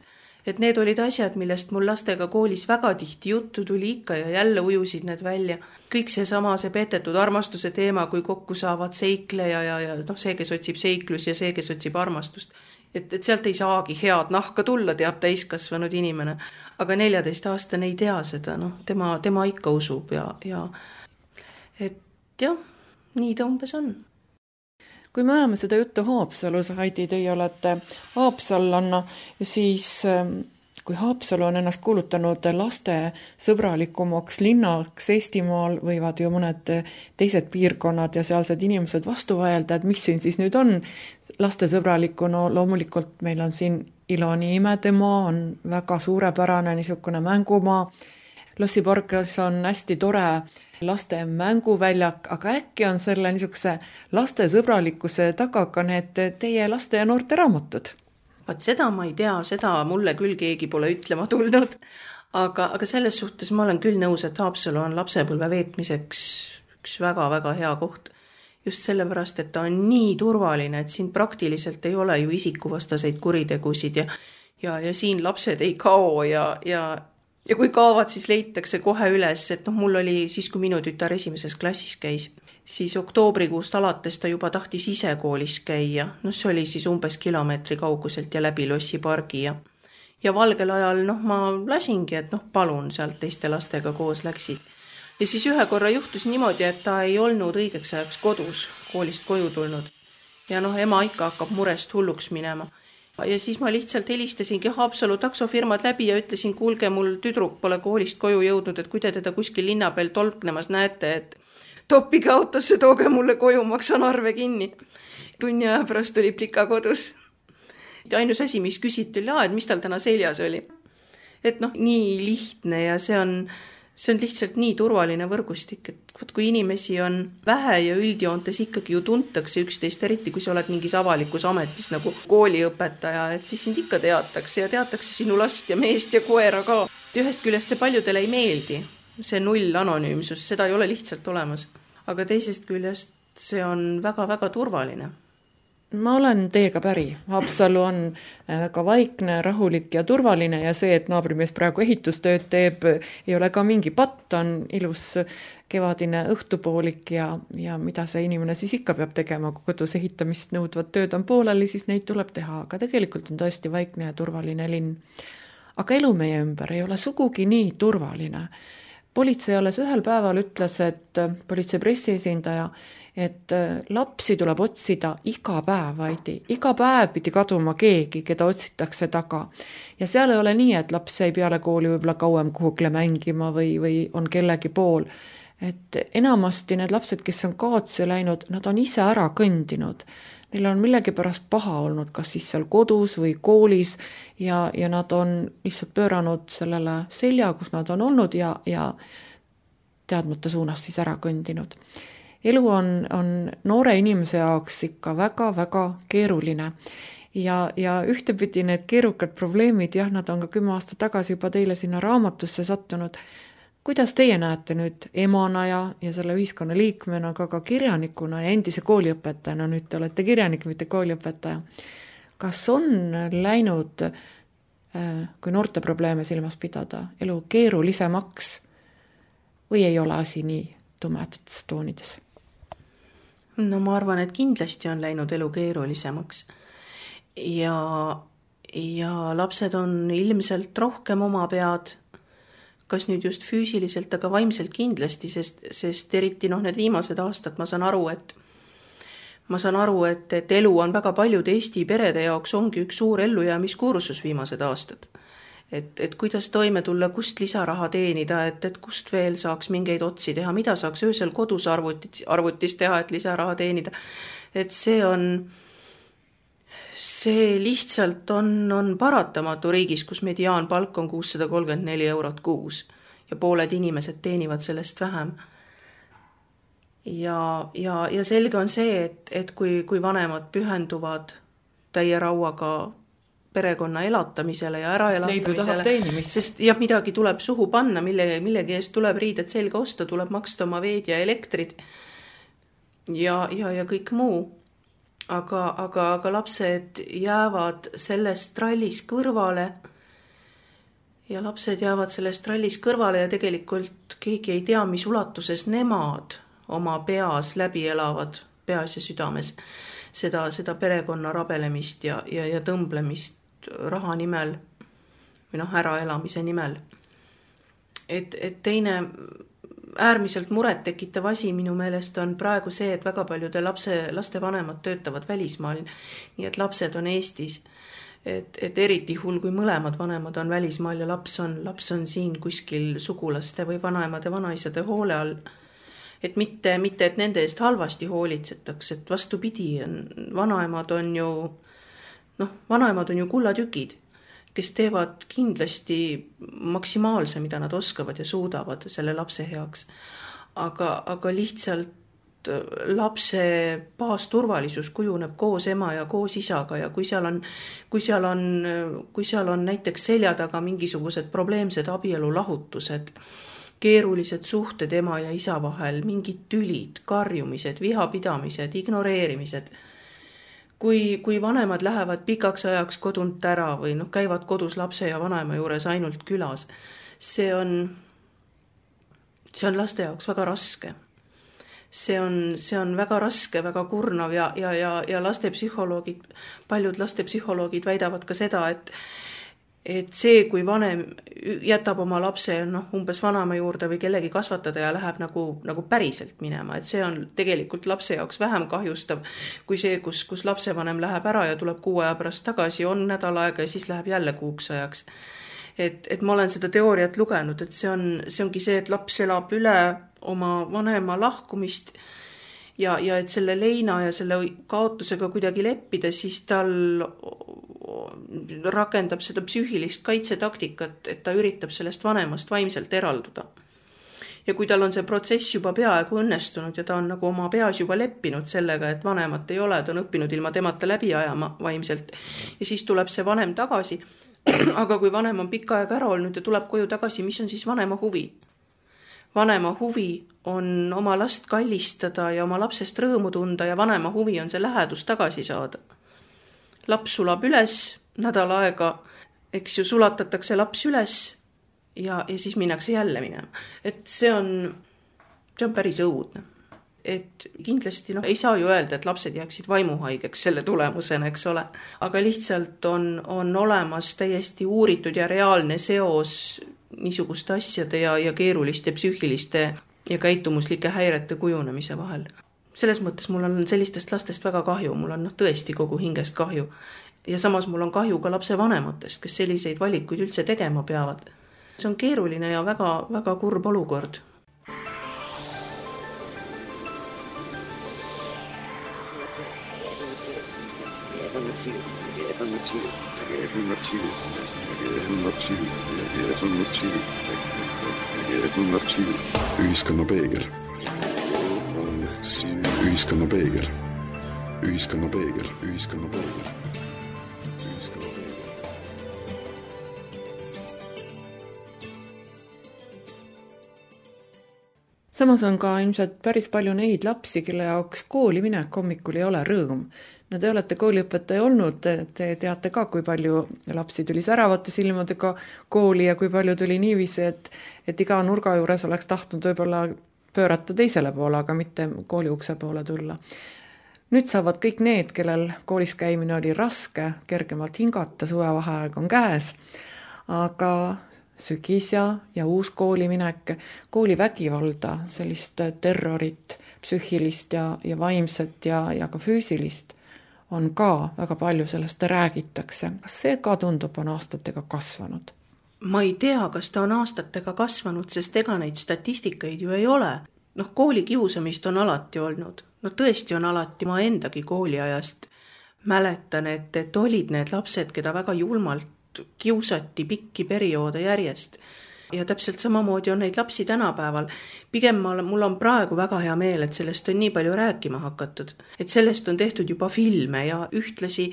et need olid asjad, millest mul lastega koolis väga tihti juttu tuli ikka ja jälle ujusid need välja. Kõik see sama, see petetud armastuse teema, kui kokku saavad seikleja ja, ja noh, see, kes otsib seiklus ja see, kes otsib armastust. Et, et sealt ei saagi head nahka tulla, teab täiskasvanud inimene. Aga neljateistaastane ei tea seda, noh, tema, tema ikka usub ja, ja et jah, nii ta umbes on. Kui me ajame seda juttu Haapsalus, Heidi, teie olete haapsallanna, siis kui Haapsalu on ennast kuulutanud laste sõbralikumaks linnaks Eestimaal, võivad ju mõned teised piirkonnad ja sealsed inimesed vastu vaelda, et mis siin siis nüüd on laste sõbralikku, no loomulikult meil on siin Iloni imedemaa, on väga suurepärane niisugune mängumaa, Lossiparkis on hästi tore laste mänguväljak, aga äkki on selle niisuguse laste sõbralikkuse taga ka need teie laste ja noorte raamatud? Vaat seda ma ei tea, seda mulle küll keegi pole ütlema tulnud, aga, aga selles suhtes ma olen küll nõus, et Haapsalu on lapsepõlve veetmiseks üks väga-väga hea koht. Just sellepärast, et ta on nii turvaline, et siin praktiliselt ei ole ju isikuvastaseid kuritegusid ja, ja, ja siin lapsed ei kao ja, ja Ja kui kaovad, siis leitakse kohe üles, et noh, mul oli siis, kui minu tütar esimeses klassis käis, siis oktoobrikuust alates ta juba tahtis ise koolis käia. No see oli siis umbes kilomeetri kauguselt ja läbi Lossipargi ja, ja valgel ajal noh, ma lasingi, et noh, palun sealt teiste lastega koos läksid. Ja siis ühe korra juhtus niimoodi, et ta ei olnud õigeks ajaks kodus, koolist koju tulnud. Ja noh, ema ikka hakkab murest hulluks minema. Ja siis ma lihtsalt helistasingi Haapsalu taksofirmad läbi ja ütlesin, kuulge, mul tüdruk pole koolist koju jõudnud, et kui te teda kuskil linna peal tolpnemas näete, et toppige autosse, tooge mulle koju, maksan arve kinni. Tunni aja pärast oli plika kodus. Ja ainus asi, mis küsiti, oli, et mis tal täna seljas oli. Et noh, nii lihtne ja see on, see on lihtsalt nii turvaline võrgustik, et võt, kui inimesi on vähe ja üldjoontes ikkagi ju tuntakse üksteist, eriti kui sa oled mingis avalikus ametis nagu kooliõpetaja, et siis sind ikka teatakse ja teatakse sinu last ja meest ja koera ka. Ühest küljest see paljudele ei meeldi, see null anonüümsus, seda ei ole lihtsalt olemas. Aga teisest küljest see on väga-väga turvaline. Ma olen teiega päri. Haapsalu on väga vaikne, rahulik ja turvaline ja see, et naabrimees praegu ehitustööd teeb, ei ole ka mingi patt, on ilus kevadine õhtupoolik ja, ja mida see inimene siis ikka peab tegema, kui kodus ehitamist nõudvad tööd on pooleli, siis neid tuleb teha, aga tegelikult on tõesti vaikne ja turvaline linn. Aga elu meie ümber ei ole sugugi nii turvaline. Politsei alles ühel päeval ütles, et politsei pressiesindaja, et lapsi tuleb otsida iga päev, vaid iga päev pidi kaduma keegi, keda otsitakse taga. Ja seal ei ole nii, et laps jäi peale kooli võib-olla kauem kuhugile mängima või, või on kellegi pool. Et enamasti need lapsed, kes on kaotsi läinud, nad on ise ära kõndinud. Neil on millegi pärast paha olnud, kas siis seal kodus või koolis ja, ja nad on lihtsalt pööranud sellele selja, kus nad on olnud ja, ja teadmata suunas siis ära kõndinud. Elu on, on noore inimese jaoks ikka väga-väga keeruline ja, ja ühtepidi need keerukad probleemid, jah, nad on ka kümme aastat tagasi juba teile sinna raamatusse sattunud. Kuidas teie näete nüüd emana ja, ja selle ühiskonna liikmena, aga ka kirjanikuna ja endise kooliõpetajana, nüüd te olete kirjanik, mitte kooliõpetaja. Kas on läinud, kui noorte probleeme silmas pidada, elu keerulisemaks või ei ole asi nii tumedates toonides? No ma arvan, et kindlasti on läinud elu keerulisemaks ja, ja lapsed on ilmselt rohkem oma pead, kas nüüd just füüsiliselt, aga vaimselt kindlasti, sest, sest eriti noh, need viimased aastad ma saan aru, et ma saan aru, et, et elu on väga paljude Eesti perede jaoks ongi üks suur ellujäämiskursus viimased aastad. Et, et kuidas toime tulla, kust lisaraha teenida, et, et kust veel saaks mingeid otsi teha, mida saaks öösel kodus arvutis, arvutis teha, et lisaraha teenida. Et see on, see lihtsalt on, on paratamatu riigis, kus mediaanpalk on kuussada kolmkümmend neli eurot kuus ja pooled inimesed teenivad sellest vähem. Ja, ja, ja selge on see, et, et kui, kui vanemad pühenduvad täie rauaga perekonna elatamisele ja äraelatamisele, teenimist. Sest jah, midagi tuleb suhu panna, mille, millegi eest tuleb riided selga osta, tuleb maksta oma veed ja elektrid ja, ja, ja kõik muu. Aga, aga, aga lapsed jäävad sellest trallis kõrvale ja lapsed jäävad sellest trallis kõrvale ja tegelikult keegi ei tea, mis ulatuses nemad oma peas läbi elavad, peas ja südames, seda, seda perekonna rabelemist ja, ja, ja tõmblemist raha nimel või noh, äraelamise nimel. Et, et teine äärmiselt muret tekitav asi minu meelest on praegu see, et väga paljude lapse, laste vanemad töötavad välismaal, nii et lapsed on Eestis. Et, et eriti hull, kui mõlemad vanemad on välismaal ja laps on, laps on siin kuskil sugulaste või vanaemade, vanaisade hoole all. Et mitte, mitte, et nende eest halvasti hoolitsetaks, et vastupidi, vanaemad on ju, noh, vanaemad on ju kullatükid, kes teevad kindlasti maksimaalse, mida nad oskavad ja suudavad selle lapse heaks. Aga, aga lihtsalt lapse baasturvalisus kujuneb koos ema ja koos isaga ja kui seal on, kui seal on, kui seal on näiteks selja taga mingisugused probleemsed abielulahutused, keerulised suhted ema ja isa vahel, mingid tülid, karjumised, vihapidamised, ignoreerimised, kui, kui vanemad lähevad pikaks ajaks kodunt ära või noh, käivad kodus lapse ja vanaema juures ainult külas, see on, see on laste jaoks väga raske. See on, see on väga raske, väga kurnav ja, ja, ja, ja lastepsühholoogid, paljud lastepsühholoogid väidavad ka seda, et, et see, kui vanem jätab oma lapse no, umbes vanaema juurde või kellegi kasvatada ja läheb nagu, nagu päriselt minema, et see on tegelikult lapse jaoks vähem kahjustav kui see, kus, kus lapsevanem läheb ära ja tuleb kuu aja pärast tagasi, on nädal aega ja siis läheb jälle kuuks ajaks. Et, et ma olen seda teooriat lugenud, et see, on, see ongi see, et laps elab üle oma vanema lahkumist ja, ja et selle leina ja selle kaotusega kuidagi leppida, siis tal rakendab seda psüühilist kaitsetaktikat, et ta üritab sellest vanemast vaimselt eralduda. Ja kui tal on see protsess juba peaaegu õnnestunud ja ta on nagu oma peas juba leppinud sellega, et vanemat ei ole, ta on õppinud ilma temata läbi ajama vaimselt ja siis tuleb see vanem tagasi, aga kui vanem on pikka aega ära olnud ja tuleb koju tagasi, mis on siis vanema huvi? Vanema huvi on oma last kallistada ja oma lapsest rõõmu tunda ja vanema huvi on see lähedus tagasi saada. Laps sulab üles, nädal aega, eks ju, sulatatakse laps üles ja, ja siis minnakse jälle minema. Et see on, see on päris õudne. Et kindlasti no, ei saa ju öelda, et lapsed jääksid vaimuhaigeks selle tulemusena, eks ole. Aga lihtsalt on, on olemas täiesti uuritud ja reaalne seos niisuguste asjade ja, ja keeruliste psüühiliste ja käitumuslike häirete kujunemise vahel. Selles mõttes mul on sellistest lastest väga kahju, mul on no, tõesti kogu hingest kahju. Ja samas mul on kahju ka lapse vanematest, kes selliseid valikuid üldse tegema peavad. See on keeruline ja väga, väga kurb olukord. Ühiskonna peegel. Ühiskonna peegel. Ühiskonna peegel. Ühiskonna peegel. Samas on ka ilmselt päris palju neid lapsi, kelle jaoks kooli minek hommikul ei ole rõõm. No te olete kooliõpetaja olnud, te teate ka, kui palju lapsi tuli säravate silmadega kooli ja kui palju tuli niiviisi, et, et iga nurga juures oleks tahtnud võib-olla pöörata teisele poole, aga mitte kooli ukse poole tulla. Nüüd saavad kõik need, kellel koolis käimine oli raske, kergemalt hingata, suvevaheaeg on käes, aga sügis ja, ja uus kooliminek, koolivägivalda, sellist terrorit, psüühilist ja, ja vaimset ja, ja ka füüsilist on ka väga palju, sellest räägitakse. Kas see ka tundub on aastatega kasvanud? Ma ei tea, kas ta on aastatega kasvanud, sest ega neid statistikaid ju ei ole. Noh, kooli kiusamist on alati olnud. No tõesti on alati, ma endagi kooliajast mäletan, et, et olid need lapsed, keda väga julmalt kiusati pikki perioode järjest. Ja täpselt samamoodi on neid lapsi tänapäeval. Pigem ma, mul on praegu väga hea meel, et sellest on nii palju rääkima hakatud. Et sellest on tehtud juba filme ja ühtlasi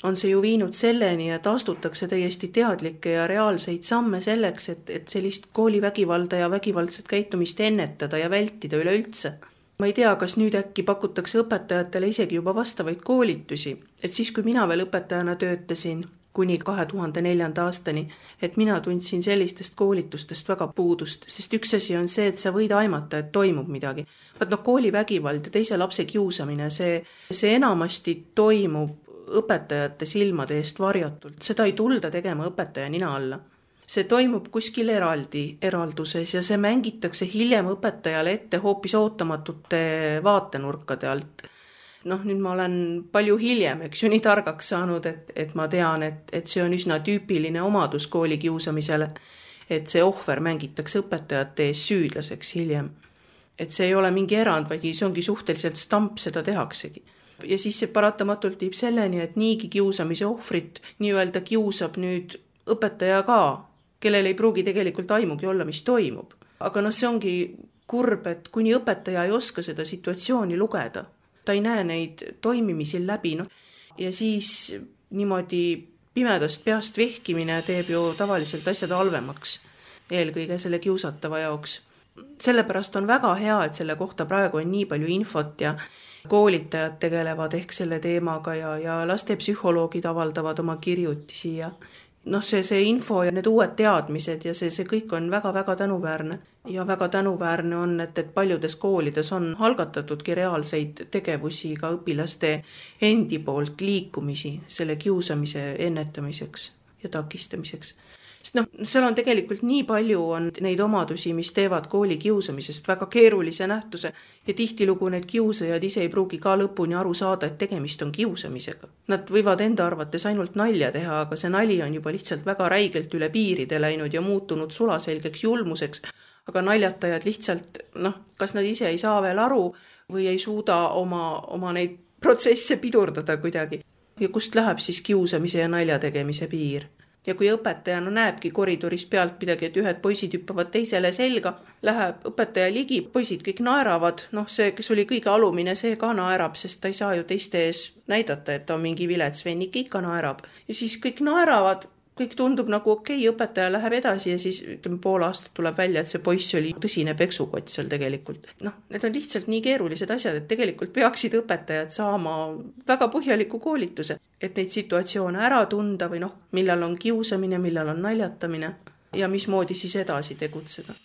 on see ju viinud selleni, et astutakse täiesti teadlikke ja reaalseid samme selleks, et, et sellist koolivägivalda ja vägivaldset käitumist ennetada ja vältida üleüldse. Ma ei tea, kas nüüd äkki pakutakse õpetajatele isegi juba vastavaid koolitusi, et siis, kui mina veel õpetajana töötasin kuni kahe tuhande neljanda aastani, et mina tundsin sellistest koolitustest väga puudust, sest üks asi on see, et sa võid aimata, et toimub midagi. Vaat no koolivägivald ja teise lapse kiusamine, see, see enamasti toimub õpetajate silmade eest varjatult, seda ei tulda tegema õpetaja nina alla. See toimub kuskil eraldi eralduses ja see mängitakse hiljem õpetajale ette hoopis ootamatute vaatenurkade alt. Noh, nüüd ma olen palju hiljem, eks ju, nii targaks saanud, et, et ma tean, et, et see on üsna tüüpiline omadus kooli kiusamisele, et see ohver mängitakse õpetajate ees süüdlaseks hiljem. Et see ei ole mingi erand, vaid see ongi suhteliselt stamp, seda tehaksegi. Ja siis see paratamatult tiib selleni, et niigi kiusamise ohvrit nii-öelda kiusab nüüd õpetaja ka, kellel ei pruugi tegelikult aimugi olla, mis toimub. Aga noh, see ongi kurb, et kuni õpetaja ei oska seda situatsiooni lugeda. Ta ei näe neid toimimisi läbi. No. Ja siis niimoodi pimedast peast vehkimine teeb ju tavaliselt asjad halvemaks, eelkõige selle kiusatava jaoks. Sellepärast on väga hea, et selle kohta praegu on nii palju infot ja koolitajad tegelevad ehk selle teemaga ja, ja lastepsühholoogid avaldavad oma kirjutisi ja noh, see, see info ja need uued teadmised ja see, see kõik on väga-väga tänuväärne. Ja väga tänuväärne on, et, et paljudes koolides on algatatudki reaalseid tegevusi ka õpilaste endi poolt liikumisi selle kiusamise ennetamiseks ja takistamiseks. Sest noh, seal on tegelikult nii palju on neid omadusi, mis teevad kooli kiusamisest väga keerulise nähtuse ja tihtilugu need kiusajad ise ei pruugi ka lõpuni aru saada, et tegemist on kiusamisega. Nad võivad enda arvates ainult nalja teha, aga see nali on juba lihtsalt väga räigelt üle piiride läinud ja muutunud sulaselgeks julmuseks, aga naljatajad lihtsalt, noh, kas nad ise ei saa veel aru või ei suuda oma, oma neid protsesse pidurdada kuidagi. Ja kust läheb siis kiusamise ja nalja tegemise piir? Ja kui õpetajana näebki koridoris pealt midagi, et ühed poisid hüppavad teisele selga, läheb õpetaja ligi, poisid kõik naeravad, noh see, kes oli kõige alumine, see ka naerab, sest ta ei saa ju teiste ees näidata, et ta on mingi vilets vennik, ikka naerab. Ja siis kõik naeravad, kõik tundub nagu okei, okay, õpetaja läheb edasi ja siis ütleme, pool aastat tuleb välja, et see poiss oli tõsine peksukott seal tegelikult. Noh, need on lihtsalt nii keerulised asjad, et tegelikult peaksid õpetajad saama väga põhjaliku koolituse, et neid situatsioone ära tunda või noh, millal on kiusamine, millal on naljatamine ja mismoodi siis edasi tegutseda.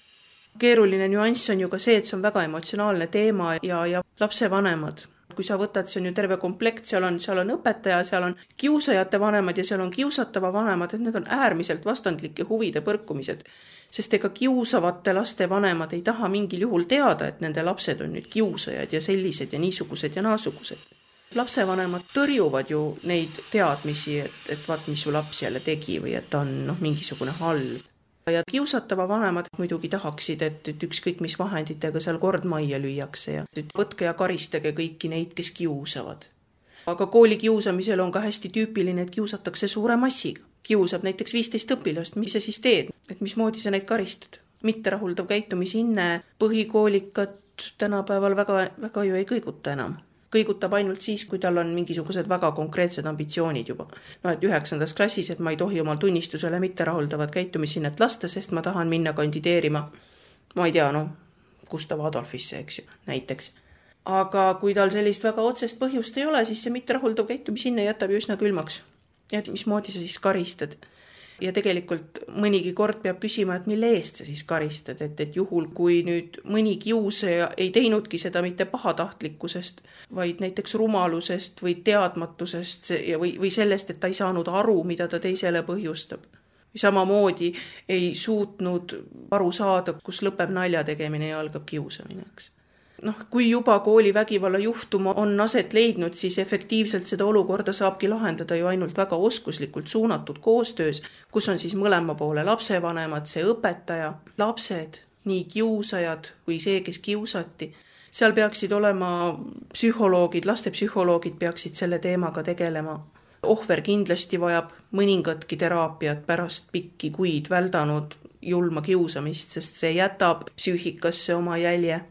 Keeruline nüanss on ju ka see, et see on väga emotsionaalne teema ja, ja lapsevanemad. Kui sa võtad, see on ju terve komplekt, seal on, seal on õpetaja, seal on kiusajate vanemad ja seal on kiusatava vanemad, et need on äärmiselt vastandlike huvide põrkumised. Sest ega kiusavate laste vanemad ei taha mingil juhul teada, et nende lapsed on nüüd kiusajad ja sellised ja niisugused ja naasugused. Lapsevanemad tõrjuvad ju neid teadmisi, et, et vaat, mis su laps jälle tegi või et ta on noh, mingisugune halb. Ja kiusatava vanemad muidugi tahaksid, et, et ükskõik mis vahenditega seal kord majja lüüakse ja et võtke ja karistage kõiki neid, kes kiusavad. Aga kooli kiusamisel on ka hästi tüüpiline, et kiusatakse suure massiga. Kiusab näiteks viisteist õpilast, mis sa siis teed, et mismoodi sa neid karistad. Mitte rahuldav käitumisinne, põhikoolikat tänapäeval väga, väga ju ei kõiguta enam. Kõigutab ainult siis, kui tal on mingisugused väga konkreetsed ambitsioonid juba. No, et üheksandas klassis, et ma ei tohi omal tunnistusele mitte rahuldavat käitumisinnet lasta, sest ma tahan minna kandideerima, ma ei tea, no, Gustav Adolfisse, eks ju, näiteks. Aga kui tal sellist väga otsest põhjust ei ole, siis see mitte rahuldav käitumisinne jätab ju üsna külmaks. Ja mismoodi sa siis karistad? Ja tegelikult mõnigi kord peab küsima, et mille eest sa siis karistad, et, et juhul, kui nüüd mõni kiusaja ei teinudki seda mitte pahatahtlikkusest, vaid näiteks rumalusest või teadmatusest või, või sellest, et ta ei saanud aru, mida ta teisele põhjustab. Samamoodi ei suutnud aru saada, kus lõpeb nalja tegemine ja algab kiusamineks. Noh, kui juba kooli vägivalla juhtuma on aset leidnud, siis efektiivselt seda olukorda saabki lahendada ju ainult väga oskuslikult suunatud koostöös, kus on siis mõlema poole lapsevanemad, see õpetaja, lapsed, nii kiusajad või see, kes kiusati. Seal peaksid olema psühholoogid, lastepsühholoogid peaksid selle teemaga tegelema. Ohver kindlasti vajab mõningatki teraapiat pärast pikki kuid väldanud julma kiusamist, sest see jätab psüühikasse oma jälje.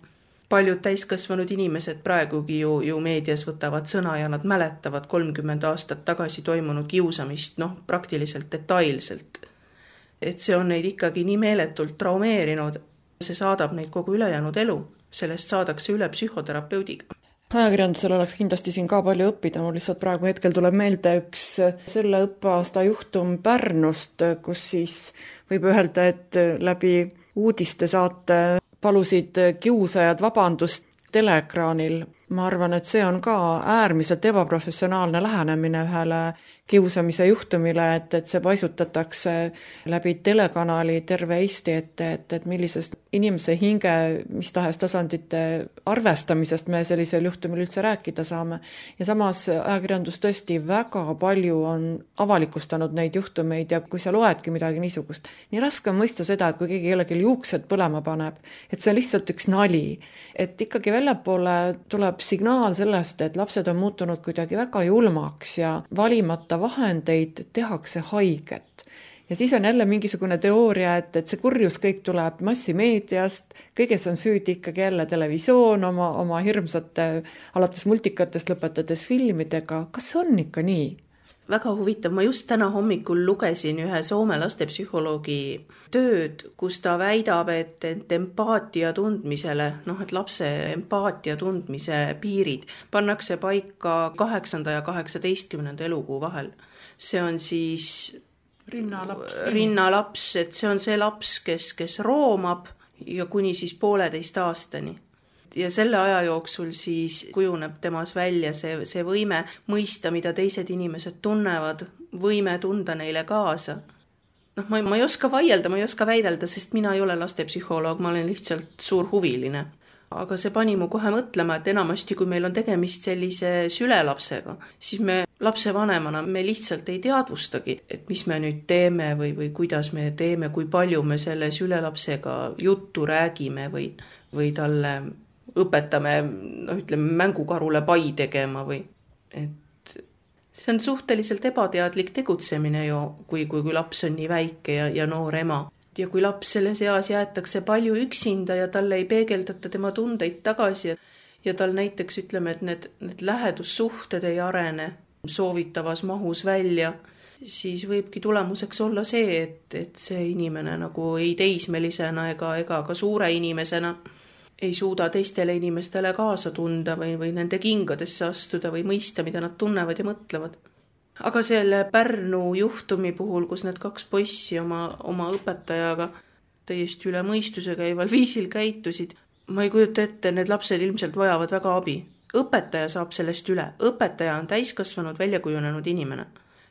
paljud täiskasvanud inimesed praegugi ju, ju meedias võtavad sõna ja nad mäletavad kolmkümmend aastat tagasi toimunud kiusamist, noh, praktiliselt detailselt. Et see on neid ikkagi nii meeletult traumeerinud, see saadab neid kogu ülejäänud elu, sellest saadakse üle psühhoterapeudiga. Ajakirjandusel oleks kindlasti siin ka palju õppida, mul lihtsalt praegu hetkel tuleb meelde üks selle õppeaasta juhtum Pärnust, kus siis võib öelda, et läbi uudiste saate palusid kiusajad vabandust teleekraanil. Ma arvan, et see on ka äärmiselt ebaprofessionaalne lähenemine ühele kiusamise juhtumile, et, et see paisutatakse läbi telekanali terve Eesti ette, et, et millisest inimese hinge, mis tahes tasandite arvestamisest me sellisel juhtumil üldse rääkida saame. Ja samas ajakirjandus tõesti väga palju on avalikustanud neid juhtumeid ja kui sa loedki midagi niisugust, nii raske on mõista seda, et kui keegi kellelgi juuksed põlema paneb, et see on lihtsalt üks nali, et ikkagi väljapoole tuleb signaal sellest, et lapsed on muutunud kuidagi väga julmaks ja valimata vahendeid tehakse haiget. Ja siis on jälle mingisugune teooria, et, et see kurjus kõik tuleb massimeediast, kõiges on süüdi ikkagi jälle televisioon oma, oma hirmsate alates multikatest lõpetades filmidega. Kas on ikka nii? Väga huvitav, ma just täna hommikul lugesin ühe Soome lastepsühholoogi tööd, kus ta väidab, et, et empaatia tundmisele, noh, et lapse empaatia tundmise piirid pannakse paika kaheksanda ja kaheksateistkümnenda elukuu vahel. See on siis rinnalaps, rinnalaps, et see on see laps, kes, kes roomab ja kuni siis pooleteist aastani. Ja selle aja jooksul siis kujuneb temas välja see, see võime mõista, mida teised inimesed tunnevad, võime tunda neile kaasa. Noh, ma, ma ei oska vaielda, ma ei oska väidelda, sest mina ei ole lastepsühholoog, ma olen lihtsalt suur huviline. Aga see pani mu kohe mõtlema, et enamasti, kui meil on tegemist sellise sülelapsega, siis me lapsevanemana me lihtsalt ei teadvustagi, et mis me nüüd teeme või, või kuidas me teeme, kui palju me selle sülelapsega juttu räägime või, või talle õpetame, no ütleme, mängukarule pai tegema või, et see on suhteliselt ebateadlik tegutsemine ju, kui, kui, kui laps on nii väike ja, ja noor ema. Ja kui laps selles eas jäetakse palju üksinda ja talle ei peegeldata tema tundeid tagasi ja tal näiteks ütleme, et need, need lähedussuhted ei arene soovitavas mahus välja, siis võibki tulemuseks olla see, et, et see inimene nagu ei teismelisena ega, ega ka suure inimesena ei suuda teistele inimestele kaasa tunda või, või nende kingadesse astuda või mõista, mida nad tunnevad ja mõtlevad. Aga selle Pärnu juhtumi puhul, kus need kaks poissi oma, oma õpetajaga täiesti üle mõistuse käival viisil käitusid, ma ei kujuta ette, need lapsed ilmselt vajavad väga abi. Õpetaja saab sellest üle. Õpetaja on täiskasvanud väljakujunenud inimene.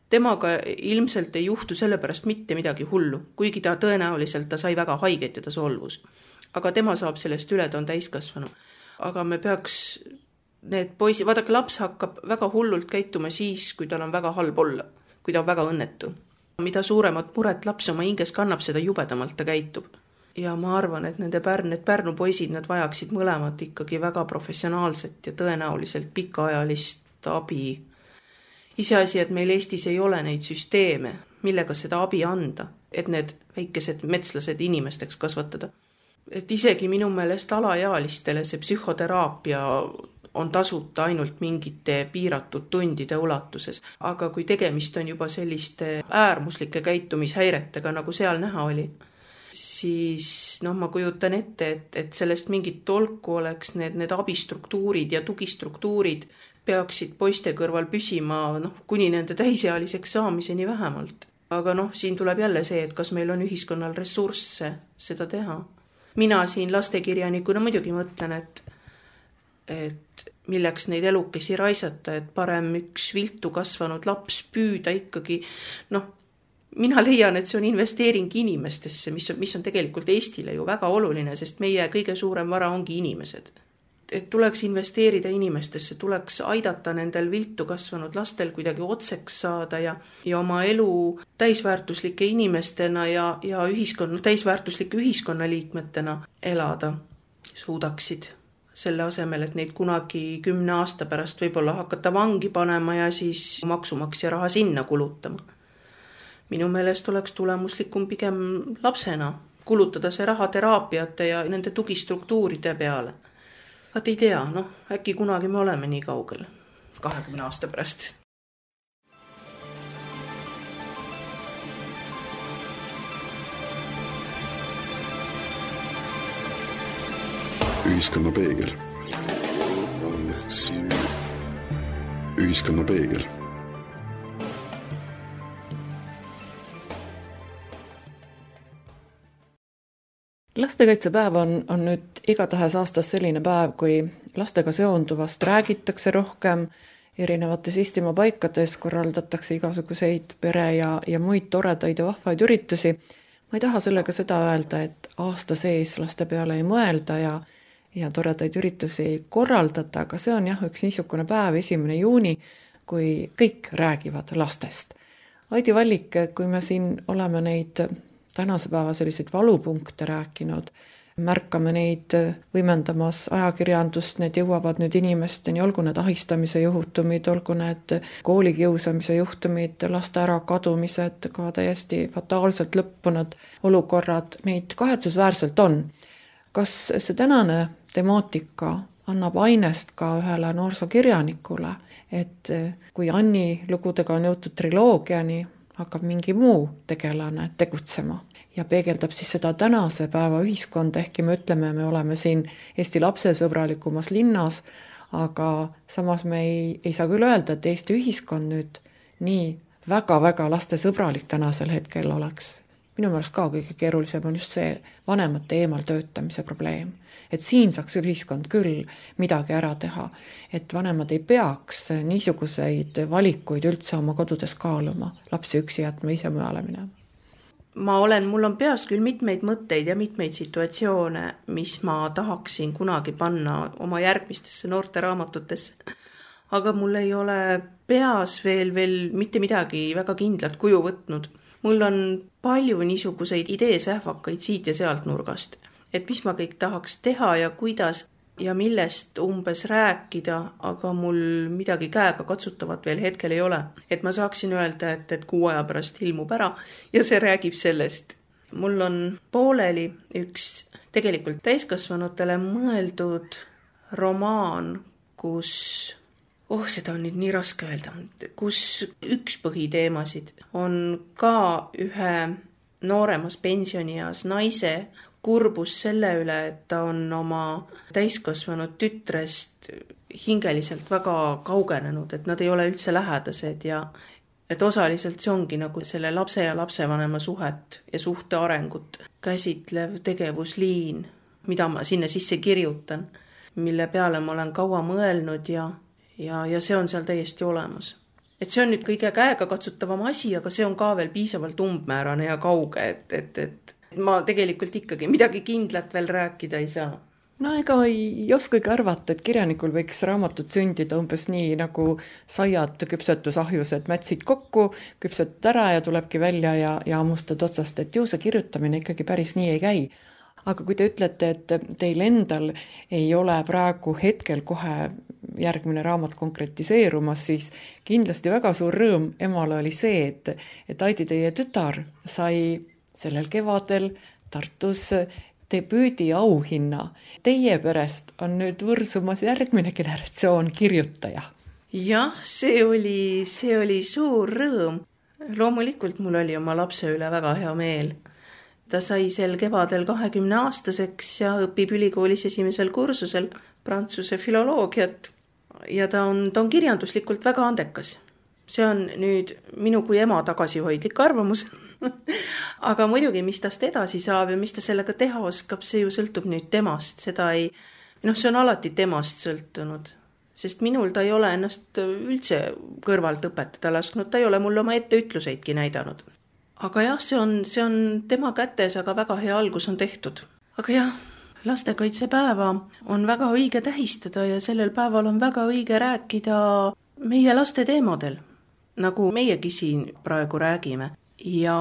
Temaga ilmselt ei juhtu sellepärast mitte midagi hullu, kuigi ta tõenäoliselt ta sai väga haiget ja ta solvus. Aga tema saab sellest üle, ta on täiskasvanu. Aga me peaks need poisi, vaadake, laps hakkab väga hullult käituma siis, kui tal on väga halb olla, kui ta on väga õnnetu. Mida suuremat muret laps oma hinges kannab, seda jubedamalt ta käitub. Ja ma arvan, et nende Pärn, need Pärnu poisid, nad vajaksid mõlemad ikkagi väga professionaalset ja tõenäoliselt pikaajalist abi. Iseasi, et meil Eestis ei ole neid süsteeme, millega seda abi anda, et need väikesed metslased inimesteks kasvatada. Et isegi minu meelest alaealistele see psühhoteraapia on tasuta ainult mingite piiratud tundide ulatuses. Aga kui tegemist on juba selliste äärmuslike käitumishäiretega, nagu seal näha oli, siis noh, ma kujutan ette, et, et sellest mingit tolku oleks need, need abistruktuurid ja tugistruktuurid peaksid poiste kõrval püsima noh, kuni nende täisealiseks saamiseni vähemalt. Aga noh, siin tuleb jälle see, et kas meil on ühiskonnal ressursse seda teha. Mina siin lastekirjanikuna muidugi mõtlen, et, et milleks neid elukesi raisata, et parem üks viltu kasvanud laps püüda ikkagi, noh, mina leian, et see on investeering inimestesse, mis on, mis on tegelikult Eestile ju väga oluline, sest meie kõige suurem vara ongi inimesed. Et tuleks investeerida inimestesse, tuleks aidata nendel viltu kasvanud lastel kuidagi otseks saada ja, ja oma elu täisväärtuslike inimestena ja, ja ühiskonna, täisväärtuslike ühiskonnaliikmetena elada suudaksid. Selle asemel, et neid kunagi kümne aasta pärast võib-olla hakata vangi panema ja siis maksumaksja raha sinna kulutama. Minu meelest oleks tulemuslikum pigem lapsena kulutada see raha teraapiate ja nende tugistruktuuride peale. Vaat ei tea, noh, äkki kunagi me oleme nii kaugel, kahekümne aasta pärast. Ühiskonna peegel. Ühiskonna peegel. Lastekaitsepäev on, on nüüd igatahes aastas selline päev, kui lastega seonduvast räägitakse rohkem, erinevates Eestimaa paikades korraldatakse igasuguseid pere ja, ja muid toredaid ja vahvaid üritusi. Ma ei taha sellega seda öelda, et aasta sees laste peale ei mõelda ja, ja toredaid üritusi ei korraldata, aga see on jah üks niisugune päev, esimene juuni, kui kõik räägivad lastest. Aidi Vallik, kui me siin oleme neid tänase päeva selliseid valupunkte rääkinud, märkame neid võimendamas ajakirjandust, need jõuavad nüüd inimesteni, olgu need ahistamise juhtumid, olgu need koolikiusamise juhtumid, laste ära kadumised, ka täiesti fataalselt lõppunud olukorrad, neid kahetsusväärselt on. Kas see tänane temaatika annab ainest ka ühele noorsokirjanikule, et kui Anni lugudega on jõutud triloogiani, hakkab mingi muu tegelane tegutsema ja peegeldab siis seda tänase päeva ühiskonda, ehkki me ütleme, me oleme siin Eesti lapsesõbralikumas linnas, aga samas me ei, ei saa küll öelda, et Eesti ühiskond nüüd nii väga-väga lastesõbralik tänasel hetkel oleks. Minu meelest ka kõige keerulisem on just see vanemate eemal töötamise probleem. Et siin saaks ühiskond küll midagi ära teha, et vanemad ei peaks niisuguseid valikuid üldse oma kodudes kaaluma, lapsi üksi jätma, ise mujale minema. Ma olen, mul on peas küll mitmeid mõtteid ja mitmeid situatsioone, mis ma tahaksin kunagi panna oma järgmistesse noorte raamatutesse. Aga mul ei ole peas veel, veel mitte midagi väga kindlat kuju võtnud. Mul on palju niisuguseid ideesähvakaid siit ja sealt nurgast, et mis ma kõik tahaks teha ja kuidas ja millest umbes rääkida, aga mul midagi käega katsutavat veel hetkel ei ole. Et ma saaksin öelda, et, et kuu aja pärast ilmub ära ja see räägib sellest. Mul on pooleli üks tegelikult täiskasvanutele mõeldud romaan, kus... Oh, seda on nüüd nii raske öelda, kus üks põhiteemasid on ka ühe nooremas pensionieas naise kurbus selle üle, et ta on oma täiskasvanud tütrest hingeliselt väga kaugenenud, et nad ei ole üldse lähedased ja et osaliselt see ongi nagu selle lapse ja lapsevanema suhet ja suhte arengut käsitlev tegevusliin, mida ma sinna sisse kirjutan, mille peale ma olen kaua mõelnud ja Ja, ja see on seal täiesti olemas. Et see on nüüd kõige käega katsutavam asi, aga see on ka veel piisavalt umbmäärane ja kauge, et, et, et ma tegelikult ikkagi midagi kindlat veel rääkida ei saa. No ega ei oskagi arvata, et kirjanikul võiks raamatut sündida umbes nii nagu saiad küpsetusahjused mätsid kokku, küpset ära ja tulebki välja ja, ja ammustad otsast, et ju see kirjutamine ikkagi päris nii ei käi. Aga kui te ütlete, et teil endal ei ole praegu hetkel kohe järgmine raamat konkretiseerumas, siis kindlasti väga suur rõõm emale oli see, et, et Aidi teie tütar sai sellel kevadel Tartus debüüdi auhinna. Teie perest on nüüd võrsumas järgmine generatsioon kirjutaja. Jah, see oli, see oli suur rõõm. Loomulikult mul oli oma lapse üle väga hea meel. Ta sai sel kevadel kahekümne aastaseks ja õpib ülikoolis esimesel kursusel prantsuse filoloogiat ja ta on, ta on kirjanduslikult väga andekas. See on nüüd minu kui ema tagasihoidlik arvamus. Aga muidugi, mis tast edasi saab ja mis ta sellega teha oskab, see ju sõltub nüüd temast. Seda ei, noh, see on alati temast sõltunud, sest minul ta ei ole ennast üldse kõrvalt õpetada lasknud, ta ei ole mulle oma etteütluseidki näidanud. Aga jah, see on, see on tema kätes, aga väga hea algus on tehtud. Aga jah, lastekaitsepäeva on väga õige tähistada ja sellel päeval on väga õige rääkida meie laste teemadel, nagu meiegi siin praegu räägime. Ja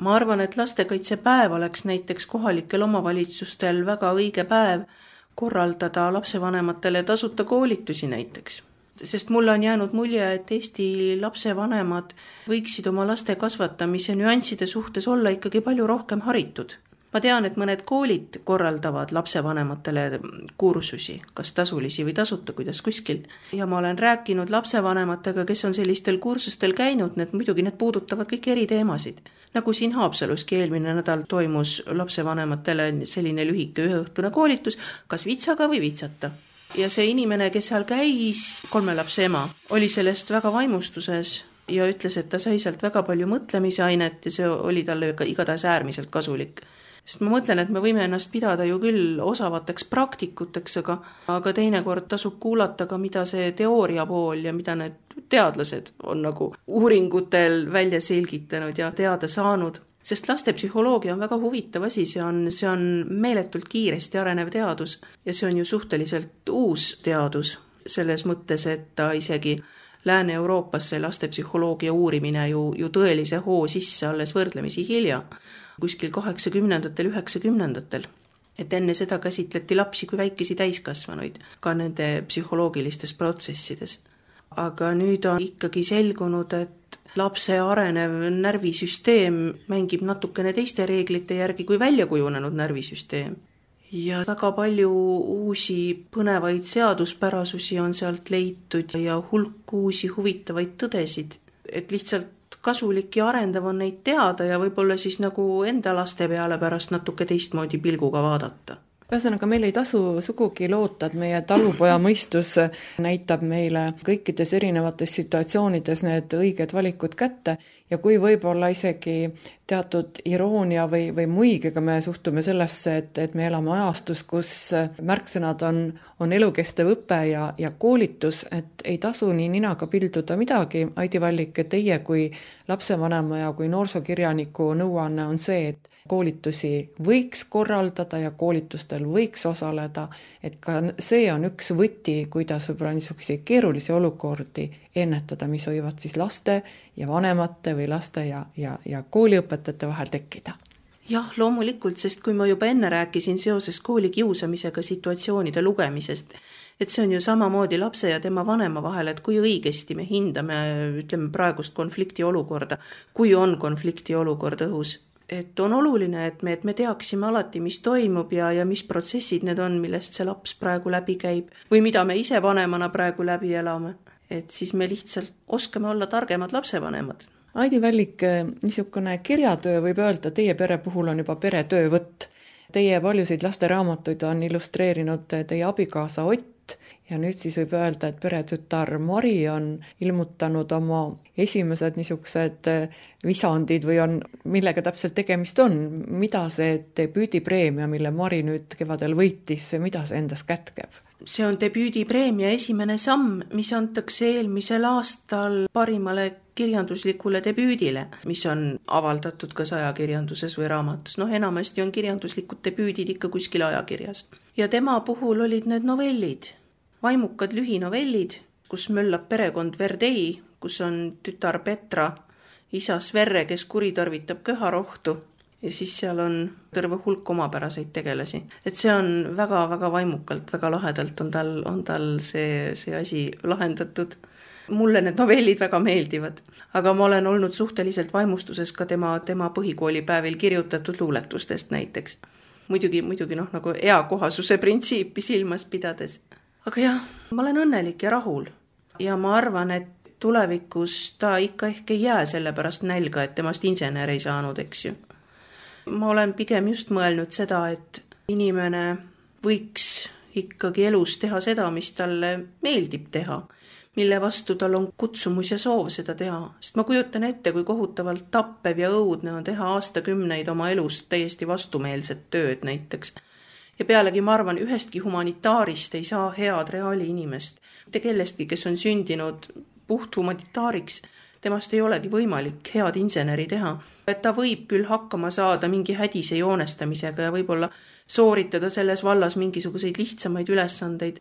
ma arvan, et lastekaitsepäev oleks näiteks kohalikel omavalitsustel väga õige päev korraldada lapsevanematele tasuta koolitusi näiteks. Sest mulle on jäänud mulje, et Eesti lapsevanemad võiksid oma laste kasvatamise nüansside suhtes olla ikkagi palju rohkem haritud. ma tean, et mõned koolid korraldavad lapsevanematele kursusi, kas tasulisi või tasuta, kuidas kuskil. Ja ma olen rääkinud lapsevanematega, kes on sellistel kursustel käinud, need muidugi need puudutavad kõik eri teemasid. Nagu siin Haapsaluski eelmine nädal toimus lapsevanematele selline lühike üheõhtune koolitus, kas vitsaga või vitsata. Ja see inimene, kes seal käis, kolme lapse ema, oli sellest väga vaimustuses ja ütles, et ta sai sealt väga palju mõtlemisainet ja see oli talle igatahes äärmiselt kasulik. Sest ma mõtlen, et me võime ennast pidada ju küll osavateks praktikuteks, aga, aga teinekord tasub kuulata ka, mida see teooria pool ja mida need teadlased on nagu uuringutel välja selgitanud ja teada saanud. Sest lastepsühholoogia on väga huvitav asi, see on, see on meeletult kiiresti arenev teadus ja see on ju suhteliselt uus teadus selles mõttes, et ta isegi Lääne-Euroopas see lastepsühholoogia uurimine ju, ju tõelise hoo sisse alles võrdlemisi hilja, kuskil kaheksakümnendatel, üheksakümnendatel. Et enne seda käsitleti lapsi kui väikesi täiskasvanuid ka nende psühholoogilistes protsessides. Aga nüüd on ikkagi selgunud, et lapse arenev närvisüsteem mängib natukene teiste reeglite järgi kui välja kujunenud närvisüsteem. Ja väga palju uusi põnevaid seaduspärasusi on sealt leitud ja hulk uusi huvitavaid tõdesid, et lihtsalt kasulik ja arendav on neid teada ja võib-olla siis nagu enda laste peale pärast natuke teistmoodi pilguga vaadata. Ühesõnaga, meil ei tasu sugugi loota, et meie talupoja mõistus näitab meile kõikides erinevates situatsioonides need õiged valikud kätte ja kui võib-olla isegi teatud iroonia või, või muigiga me suhtume sellesse, et, et me elame ajastus, kus märksõnad on, on elukestev õpe ja, ja koolitus, et ei tasu nii ninaga pilduda midagi. Aidi Vallik, teie kui lapsevanema ja kui noorsokirjaniku nõuanne on see, et koolitusi võiks korraldada ja koolitustel võiks osaleda, et ka see on üks võti, kuidas võib-olla niisuguseid keerulisi olukordi ennetada, mis võivad siis laste ja vanemate või laste ja, ja, ja kooliõpetajate vahel tekkida. Jah, loomulikult, sest kui ma juba enne rääkisin seoses kooli kiusamisega situatsioonide lugemisest, et see on ju samamoodi lapse ja tema vanema vahel, et kui õigesti me hindame, ütleme praegust konflikti olukorda, kui on konflikti olukord õhus. Et on oluline, et me, et me teaksime alati, mis toimub ja, ja mis protsessid need on, millest see laps praegu läbi käib või mida me ise vanemana praegu läbi elame. Et siis me lihtsalt oskame olla targemad lapsevanemad. Aidi Vallik, niisugune kirjatöö võib öelda, teie pere puhul on juba peretöövõtt. Teie paljusid lasteraamatuid on illustreerinud teie abikaasa Ott ja nüüd siis võib öelda, et peretütar Mari on ilmutanud oma esimesed niisugused visandid või on, millega täpselt tegemist on. Mida see debüüdipreemia, mille Mari nüüd kevadel võitis, mida see endas kätkeb? See on debüüdipreemia esimene samm, mis antakse eelmisel aastal parimale kirjanduslikule debüüdile, mis on avaldatud kas ajakirjanduses või raamatus. Noh, enamasti on kirjanduslikud debüüdid ikka kuskil ajakirjas. Ja tema puhul olid need novellid, vaimukad lühinovellid, kus möllab perekond Verdei, kus on tütar Petra, isa Sverre, kes kuritarvitab köharohtu ja siis seal on terve hulk omapäraseid tegelasi. Et see on väga-väga vaimukalt, väga lahedalt on tal, on tal see, see asi lahendatud. Mulle need novellid väga meeldivad, aga ma olen olnud suhteliselt vaimustuses ka tema, tema põhikoolipäevil kirjutatud luuletustest näiteks. Muidugi, muidugi noh, nagu eakohasuse printsiipi silmas pidades. Aga jah, ma olen õnnelik ja rahul ja ma arvan, et tulevikus ta ikka ehk ei jää selle pärast nälga, et temast insener ei saanud, eks ju. Ma olen pigem just mõelnud seda, et inimene võiks ikkagi elus teha seda, mis talle meeldib teha, mille vastu tal on kutsumus ja soov seda teha. Sest ma kujutan ette, kui kohutavalt tappev ja õudne on teha aastakümneid oma elust täiesti vastumeelset tööd näiteks. Ja pealegi ma arvan, ühestki humanitaarist ei saa head reaali inimest. Te kellestki, kes on sündinud puht humanitaariks, temast ei olegi võimalik head inseneri teha. Et ta võib küll hakkama saada mingi hädise joonestamisega ja võib-olla sooritada selles vallas mingisuguseid lihtsamaid ülesandeid,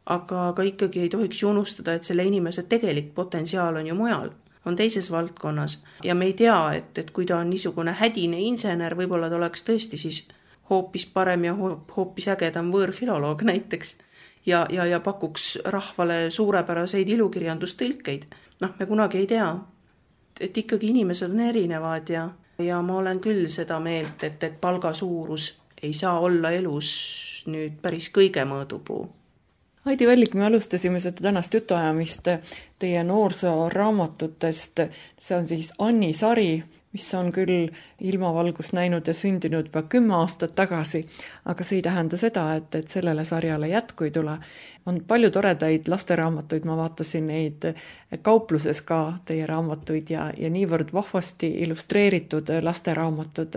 aga, aga ikkagi ei tohiks unustada, et selle inimese tegelik potentsiaal on ju mujal, on teises valdkonnas. Ja me ei tea, et, et kui ta on niisugune hädine insener, võib-olla ta oleks tõesti siis hoopis parem ja hoopis ägedam võõrfiloloog näiteks ja, ja, ja pakuks rahvale suurepäraseid ilukirjandustõlkeid. Noh, me kunagi ei tea, et ikkagi inimesed on erinevad ja ja ma olen küll seda meelt, et, et palga suurus ei saa olla elus nüüd päris kõige mõõdupuu. Heidi Vällik, me alustasime seda tänast jutuajamist teie noorsooraamatutest. See on siis Anni sari, mis on küll ilmavalgust näinud ja sündinud juba kümme aastat tagasi, aga see ei tähenda seda, et, et sellele sarjale jätku ei tule. On palju toredaid lasteraamatuid, ma vaatasin neid kaupluses ka teie raamatuid ja, ja niivõrd vahvasti illustreeritud lasteraamatud.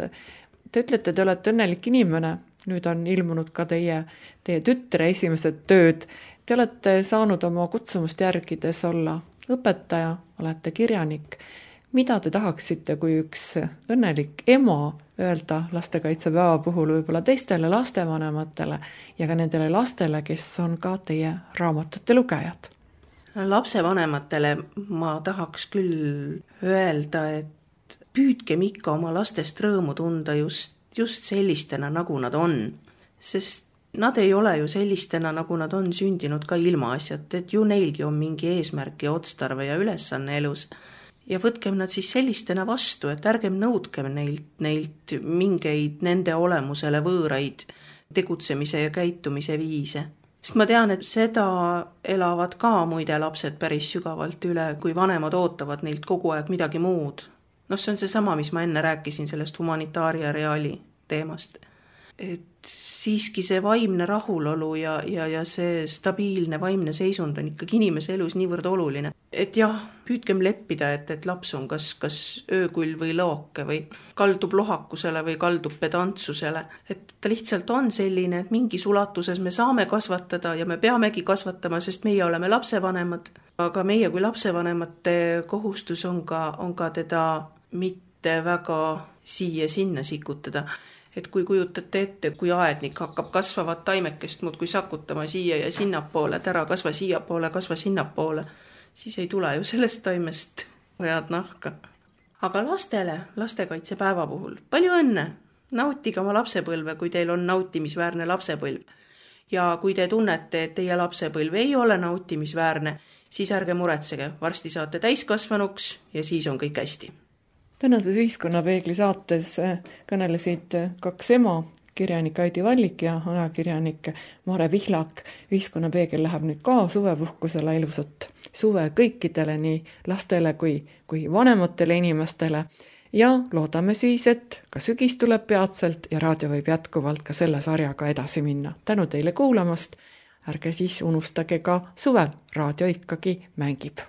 Te ütlete, te olete õnnelik inimene. Nüüd on ilmunud ka teie, teie tütre esimesed tööd. Te olete saanud oma kutsumust järgides olla õpetaja, olete kirjanik. Mida te tahaksite, kui üks õnnelik ema öelda lastekaitsepäeva puhul võib-olla teistele lastevanematele ja ka nendele lastele, kes on ka teie raamatute lugejad? Lapsevanematele ma tahaks küll öelda, et püüdkem ikka oma lastest rõõmu tunda just just sellistena, nagu nad on. Sest nad ei ole ju sellistena, nagu nad on sündinud ka ilmaasjad, et ju neilgi on mingi eesmärk ja otstarve ja ülesanne elus. Ja võtkem nad siis sellistena vastu, et ärgem nõudkem neilt, neilt mingeid nende olemusele võõraid tegutsemise ja käitumise viise. Sest ma tean, et seda elavad ka muide lapsed päris sügavalt üle, kui vanemad ootavad neilt kogu aeg midagi muud. No see on see sama, mis ma enne rääkisin sellest humanitaaria reaali teemast. Et siiski see vaimne rahulolu ja, ja, ja see stabiilne vaimne seisund on ikkagi inimese elus niivõrd oluline. Et jah, püüdkem leppida, et, et laps on kas, kas öökull või looke või kaldub lohakusele või kaldub pedantsusele. Et ta lihtsalt on selline, et mingis ulatuses me saame kasvatada ja me peamegi kasvatama, sest meie oleme lapsevanemad. Aga meie kui lapsevanemate kohustus on ka, on ka teda mitte väga siia sinna sikutada. Et kui kujutate ette, kui aednik hakkab kasvavat taimekest muud kui sakutama siia ja sinnapoole, et ära kasva siia poole, kasva sinnapoole, siis ei tule ju sellest taimest head nahka. Aga lastele, lastekaitsepäeva puhul, palju õnne! Nautige oma lapsepõlve, kui teil on nautimisväärne lapsepõlv. Ja kui te tunnete, et teie lapsepõlv ei ole nautimisväärne, siis ärge muretsege, varsti saate täiskasvanuks ja siis on kõik hästi. Tänases Ühiskonnapeegli saates kõnelesid kaks ema, kirjanik Heidi Vällik ja ajakirjanik Mare Pihlak. Ühiskonnapeegel läheb nüüd ka suvepuhkusele, ilusat suve kõikidele, nii lastele kui, kui vanematele inimestele. Ja loodame siis, et ka sügis tuleb peatselt ja raadio võib jätkuvalt ka selle sarjaga edasi minna. Tänu teile kuulamast, ärge siis unustage ka suvel, raadio ikkagi mängib.